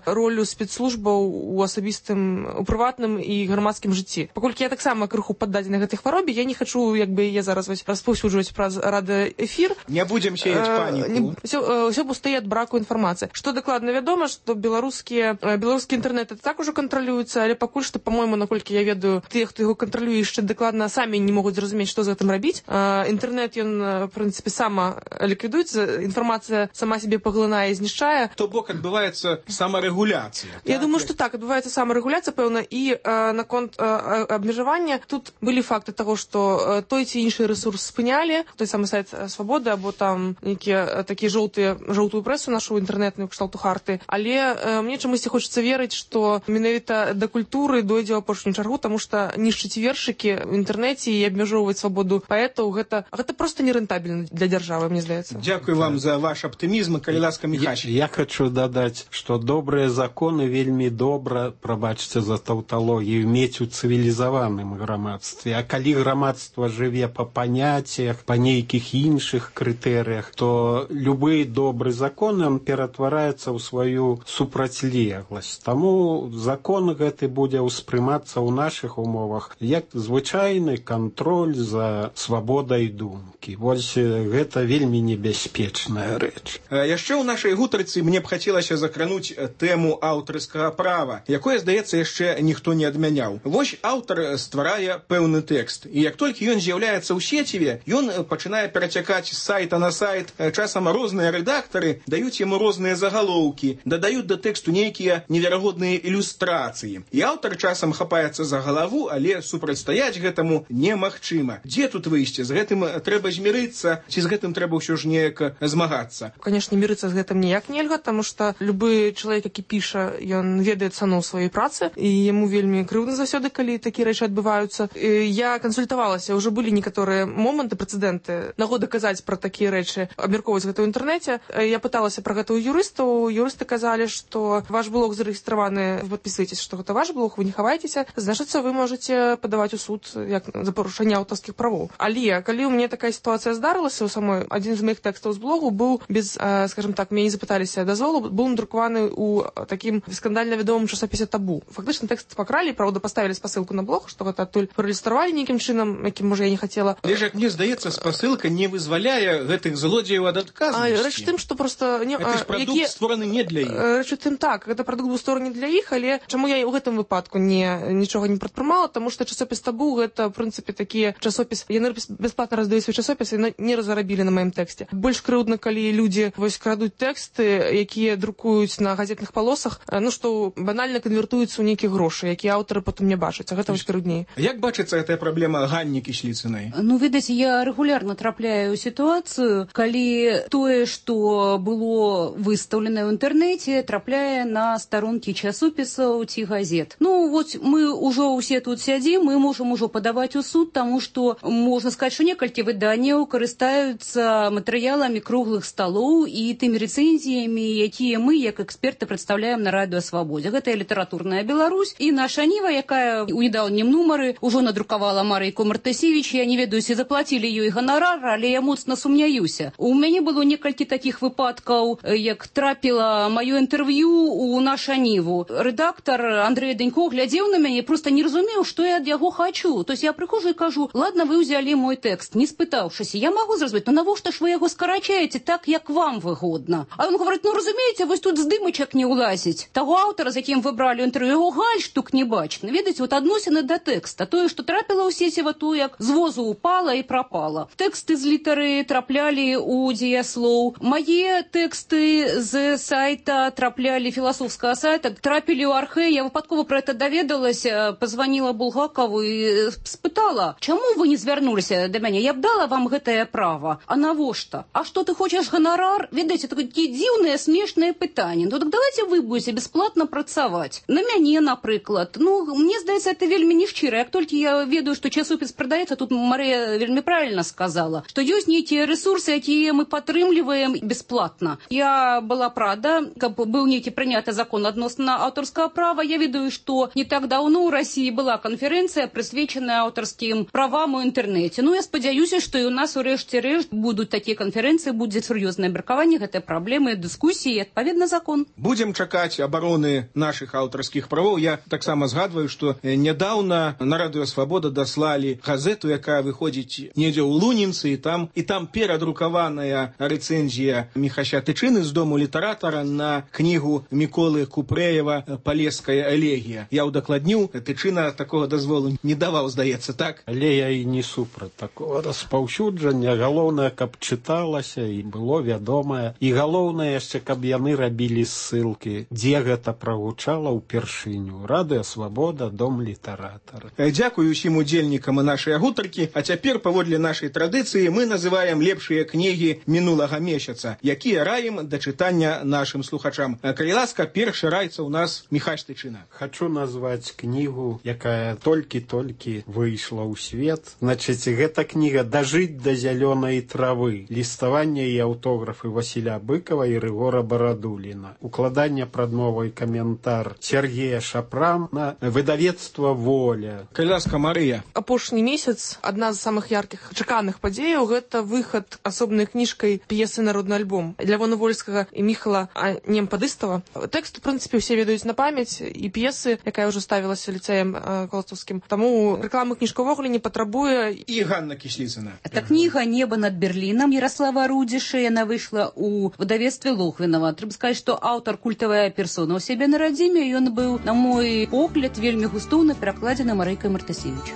ролю спецслужбаў у асабістым, у прыватным і грамадскім жыцці. Паколькі я таксама крыху паддадзена гэтай хваробе, я не хачу, як бы я зараз распаўсюджваць праз радыёэфір. Не будзем сеяць паніку. Усё пустые ад браку інфармацыі. Што дакладна вядома, што беларускія беларускі інтэрнэт так ужо кантралюецца, але пакуль што, па-мойму, наколькі я ведаю, тыя, хто яго кантралюе, яшчэ дакладна самі не могуць зразумець, што з гэтым рабіць. Інтэрнэт, ён, в прынцыпе, сама ліквідуецца, інфармацыя сама сябе паглынае і знішчае. То бок адбываецца самарэгуляцыя. Я думаю, што так, адбываецца самарэгуляцыя, пэўна, і наконт абмежавання тут былі факты таго, што той ці іншы рэсурс спынялі, той самы сайт Свабоды, або там нейкія такія жоўтыя, жоўтую прэсу нашу інтэрнэтную кшталту Харты. Але мне чамусьці хочацца верыць, што менавіта да культуры дойдзе ў апошнюю чаргу, таму што нішчыць вершыкі в інтэрнэце і абмяжоўваць свабоду паэтаў, гэта, гэта проста нерэнтабельна для дзяржавы, мне здаецца. Дзякуй вам за ваш аптымізм, калі ласка, Міхась. Я, я хочу дадаць, што добрыя законы вельмі добра, прабачце за таўталогію, мець у цывілізаваным грамадстве. А калі грамадства жыве па паняццях, па нейкіх іншых крытэрыях, то любы добры закон, ён ператвараецца ў сваю супрацьлегласць. Таму закон гэты будзе ўспрымацца ў нашых умовах як звычайны кантроль за свабодай думкі. Вось гэта вельмі небяспечная рэч. Васильевич. Яшчэ ў нашай гутарцы мне б хацелася закрануць тэму аўтарскага права, якое, здаецца, яшчэ ніхто не адмяняў. Вось аўтар стварае пэўны тэкст, і як толькі ён з'яўляецца ў сеціве, ён пачынае перацякаць з сайта на сайт. Часам розныя рэдактары даюць яму розныя загалоўкі, дадаюць да тэксту нейкія неверагодныя ілюстрацыі. І аўтар часам хапаецца за галаву, але супрацьстаяць гэтаму немагчыма. Дзе тут выйсце? З гэтым трэба змірыцца, ці з гэтым трэба ўсё ж неяк змагацца? Конечно, мириться с гэтым ніяк нельга, потому что любы чалавек, які піша, ён ведае цану сваёй працы, і яму вельмі крыўдна заўсёды, калі такія рэчы адбываюцца. І я кансультавалася, ўжо былі некаторыя моманты, прэцэдэнты, нагода казаць пра такія рэчы, абмяркоўваць гэта ў інтэрнэце. Я пыталася пра гэта ў юрыстаў, юрысты казалі, што ваш блог зарэгістраваны, вы падпісваецеся, што гэта ваш блог, вы не хаваецеся, значыцца, вы можаце падаваць у суд як за парушэнне аўтарскіх правоў. Але калі ў мяне такая сітуацыя здарылася, у самой адзін з моих тэкстаў з блогу быў без, скажем так, мяне не запыталіся дазволу, быў надрукаваны ў такім скандальна вядомым часопісе «Табу». Фактычна тэкст пакралі, правда, паставілі спасылку на блог, што гэта адтуль праілюстравалі нейкім чынам, якім, можа, я не хацела. Але ж, як мне здаецца, спасылка не вызваляе гэтых злодзеяў ад адказнасці. Рэч тым, што проста не, гэта ж прадукт які... створаны не для іх. Рэч тым так, гэта прадукт быў створаны для іх, але чаму я ў гэтым выпадку не нічога не прадпрымала, таму што часопіс «Табу» гэта, в прынцыпе, такі часопіс, яны бясплатна раздаюць свой часопіс і не разарабілі на маім тэксце. Больш крыўдна, калі людзі вось крадуць тэксты, якія друкуюць на газетных палосах, ну што банальна канвертуюцца ў нейкія грошы, якія аўтары потым не бачаць, а гэта вось крыўдней. Як бачыцца гэтая праблема Ганні Кісліцынай? Ну, відаць, я рэгулярна трапляю ў сітуацыю, калі тое, што было выстаўлена ў інтэрнэце, трапляе на старонкі часопісаў ці газет. Ну, вот мы ўжо ўсе тут сядзім, мы можам ужо падаваць у суд, таму што можна сказаць, што некалькі выданняў карыстаюцца матэрыяламі круглых сталоў і тымі рэцэнзіямі, якія мы, як эксперты, прадстаўляем на радыё Свабодзе. Гэта і літаратурная Беларусь, і наша Ніва, якая ў недаўнім нумары ўжо надрукавала Марыйку Мартысевіч. Я не ведаю, ці заплацілі ёй ганарар, але я моцна сумняюся. У мяне было некалькі такіх выпадкаў, як трапіла маё інтэрв'ю ў наша Ніву. Рэдактар Андрэй Данько глядзеў на мяне, проста не разумеў, што я ад яго хачу. То есть я прыхожу і кажу: ладно, вы ўзялі мой тэкст, не спытаўшыся. Я магу зразумець, ну навошта ж вы яго скарачаеце так, як вам выгодна? А ён говорит: ну разумееце, вось тут здымачак не ўлазіць. Таго аўтара, з якім вы бралі інтэрв'ю, яго гальштук не бачна. Ведаеце, вот адносіны да тэкста. Тое, што трапіла ў сеціва, то як з возу упала і прапала. Тэксты з літары траплялі ў дзеяслоў. Мае тэксты з сайта траплялі, філасофскага сайта, трапілі ў архэ. Я выпадкова пра гэта даведалася, пазваніла Булгакову і спытала: чаму вы не звярнуліся да мяне? Я б дала вам гэтае права. А навошта? А што ты хочаш ганарар? Ведаеце, такія дзіўныя, смешныя пытанні. Ну так давайте вы будете бесплатно працаваць. На мяне, напрыклад. Ну, мне здаецца, это вельмі нешчыра. Як толькі я ведаю, што часопіс прадаецца, тут Марыя вельмі правильно сказала, што ёсць нейкія рэсурсы, якія мы падтрымліваем бесплатна. Я была рада, каб быў нейкі прыняты закон адносна аўтарскага права. Я ведаю, што не так даўно ў Расіі была канферэнцыя, прысвечаная аўтарскім правам у інтэрнэце. Ну, я спадзяюся, што і у нас у рэшце рэшт будуць такія канферэнцыі, будзе сур'ёзнае абмеркаванне гэтай праблемы, дыскусіі, адпаведна закон. Будзем чакаць абароны нашых аўтарскіх правоў. Я таксама згадваю, што нядаўна на радыё Свабода даслалі газету, якая выходзіць недзе ў Лунінцы, і там і там перадрукаваная рэцэнзія Міхася Тычыны з дому літаратара на кнігу Міколы Купрэева «Палеская элегія». Я ўдакладніў, Тычына такога дазволу не даваў, здаецца, так? Але я і не супраць такого распаўсюджання. Галоўнае, каб чыталася і было вядомае. І галоўнае яшчэ, каб яны рабілі ссылкі, дзе гэта прагучала ўпершыню. Радыё Свабода, дом літаратара. Дзякую усім удзельнікам нашай гутаркі. А цяпер, паводле нашай традыцыі, мы называем лепшыя кнігі мінулага месяца, якія раім да чытання нашым слухачам. Калі ласка, першы раіцца ў нас Міхась Тычына. Хачу назваць кнігу, якая толькі-толькі выйшла ў свет. Значыць, гэта кніга «Дажыць да зялёнай травы». Ліставанне і аўтографы Васіля Быкова і Рыгора Барадуліна. Укладанне прадмовы і каментар Сергея Шапрана, выдавецтва «Воля». Калі ласка, Марыя. Апошні месяц адна з самых яркіх чаканых падзеяў — гэта выхад асобнай кніжкай п'есы «Народны альбом» Лявона Вольскага і Міхала Немпадыстава. Тэкст, у прынцыпе, усе ведаюць на памяць, і п'есы, якая ўжо ставілася ліцэем Коластаўскім. Таму рэкламы кніжка ўвогуле не патрабуе. І Ганна Кісліцына. Это книга «Небо над Берлином» Ярослава Рудиша. Она выйшла ў выдавецтве Логвінава. Трэба сказаць, што аўтар культавая персона ў сябе на радзіме, ён быў, на мой погляд, вельмі густоўна перакладзены Марыйкай Мартасевіч.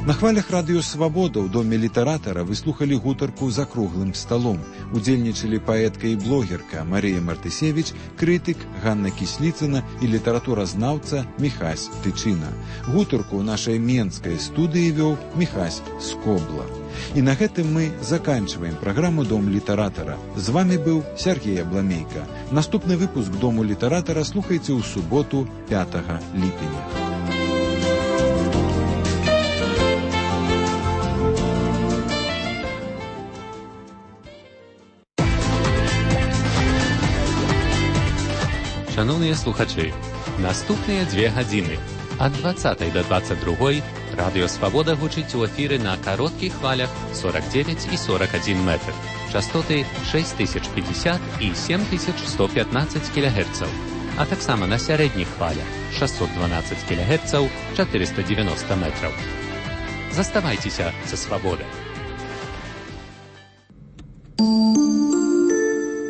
На хвалях радыё «Свабода» ў доме літаратара вы слухалі гутарку «За круглым сталом». Удзельнічалі паэтка і блогерка Марыя Мартысевіч, крытык Ганна Кісліцына і літаратуразнаўца Міхась Тычына. Гутарку ў нашай менскай студыі вёў Міхась Скобла. І на гэтым мы заканчваем праграму «Дом літаратара». З вами быў Сергей Абламейка. Наступны выпуск «Дому літаратара» слухайце ў суботу пятага ліпеня. Шановныя слухачы, наступныя дзве гадзіны ад дваццатай да дваццаць другой радыё «Свабода» гучыць у эфіры на кароткіх хвалях сорок девять і сорок один метр, частоты шесть тысяч пятьдесят і семь тысяч сто пятнадцать кілогерцаў, а таксама на сярэдніх хвалях шестьсот двенадцать кілогерцаў, четыреста девяносто метраў. Заставайцеся са «Свабодай».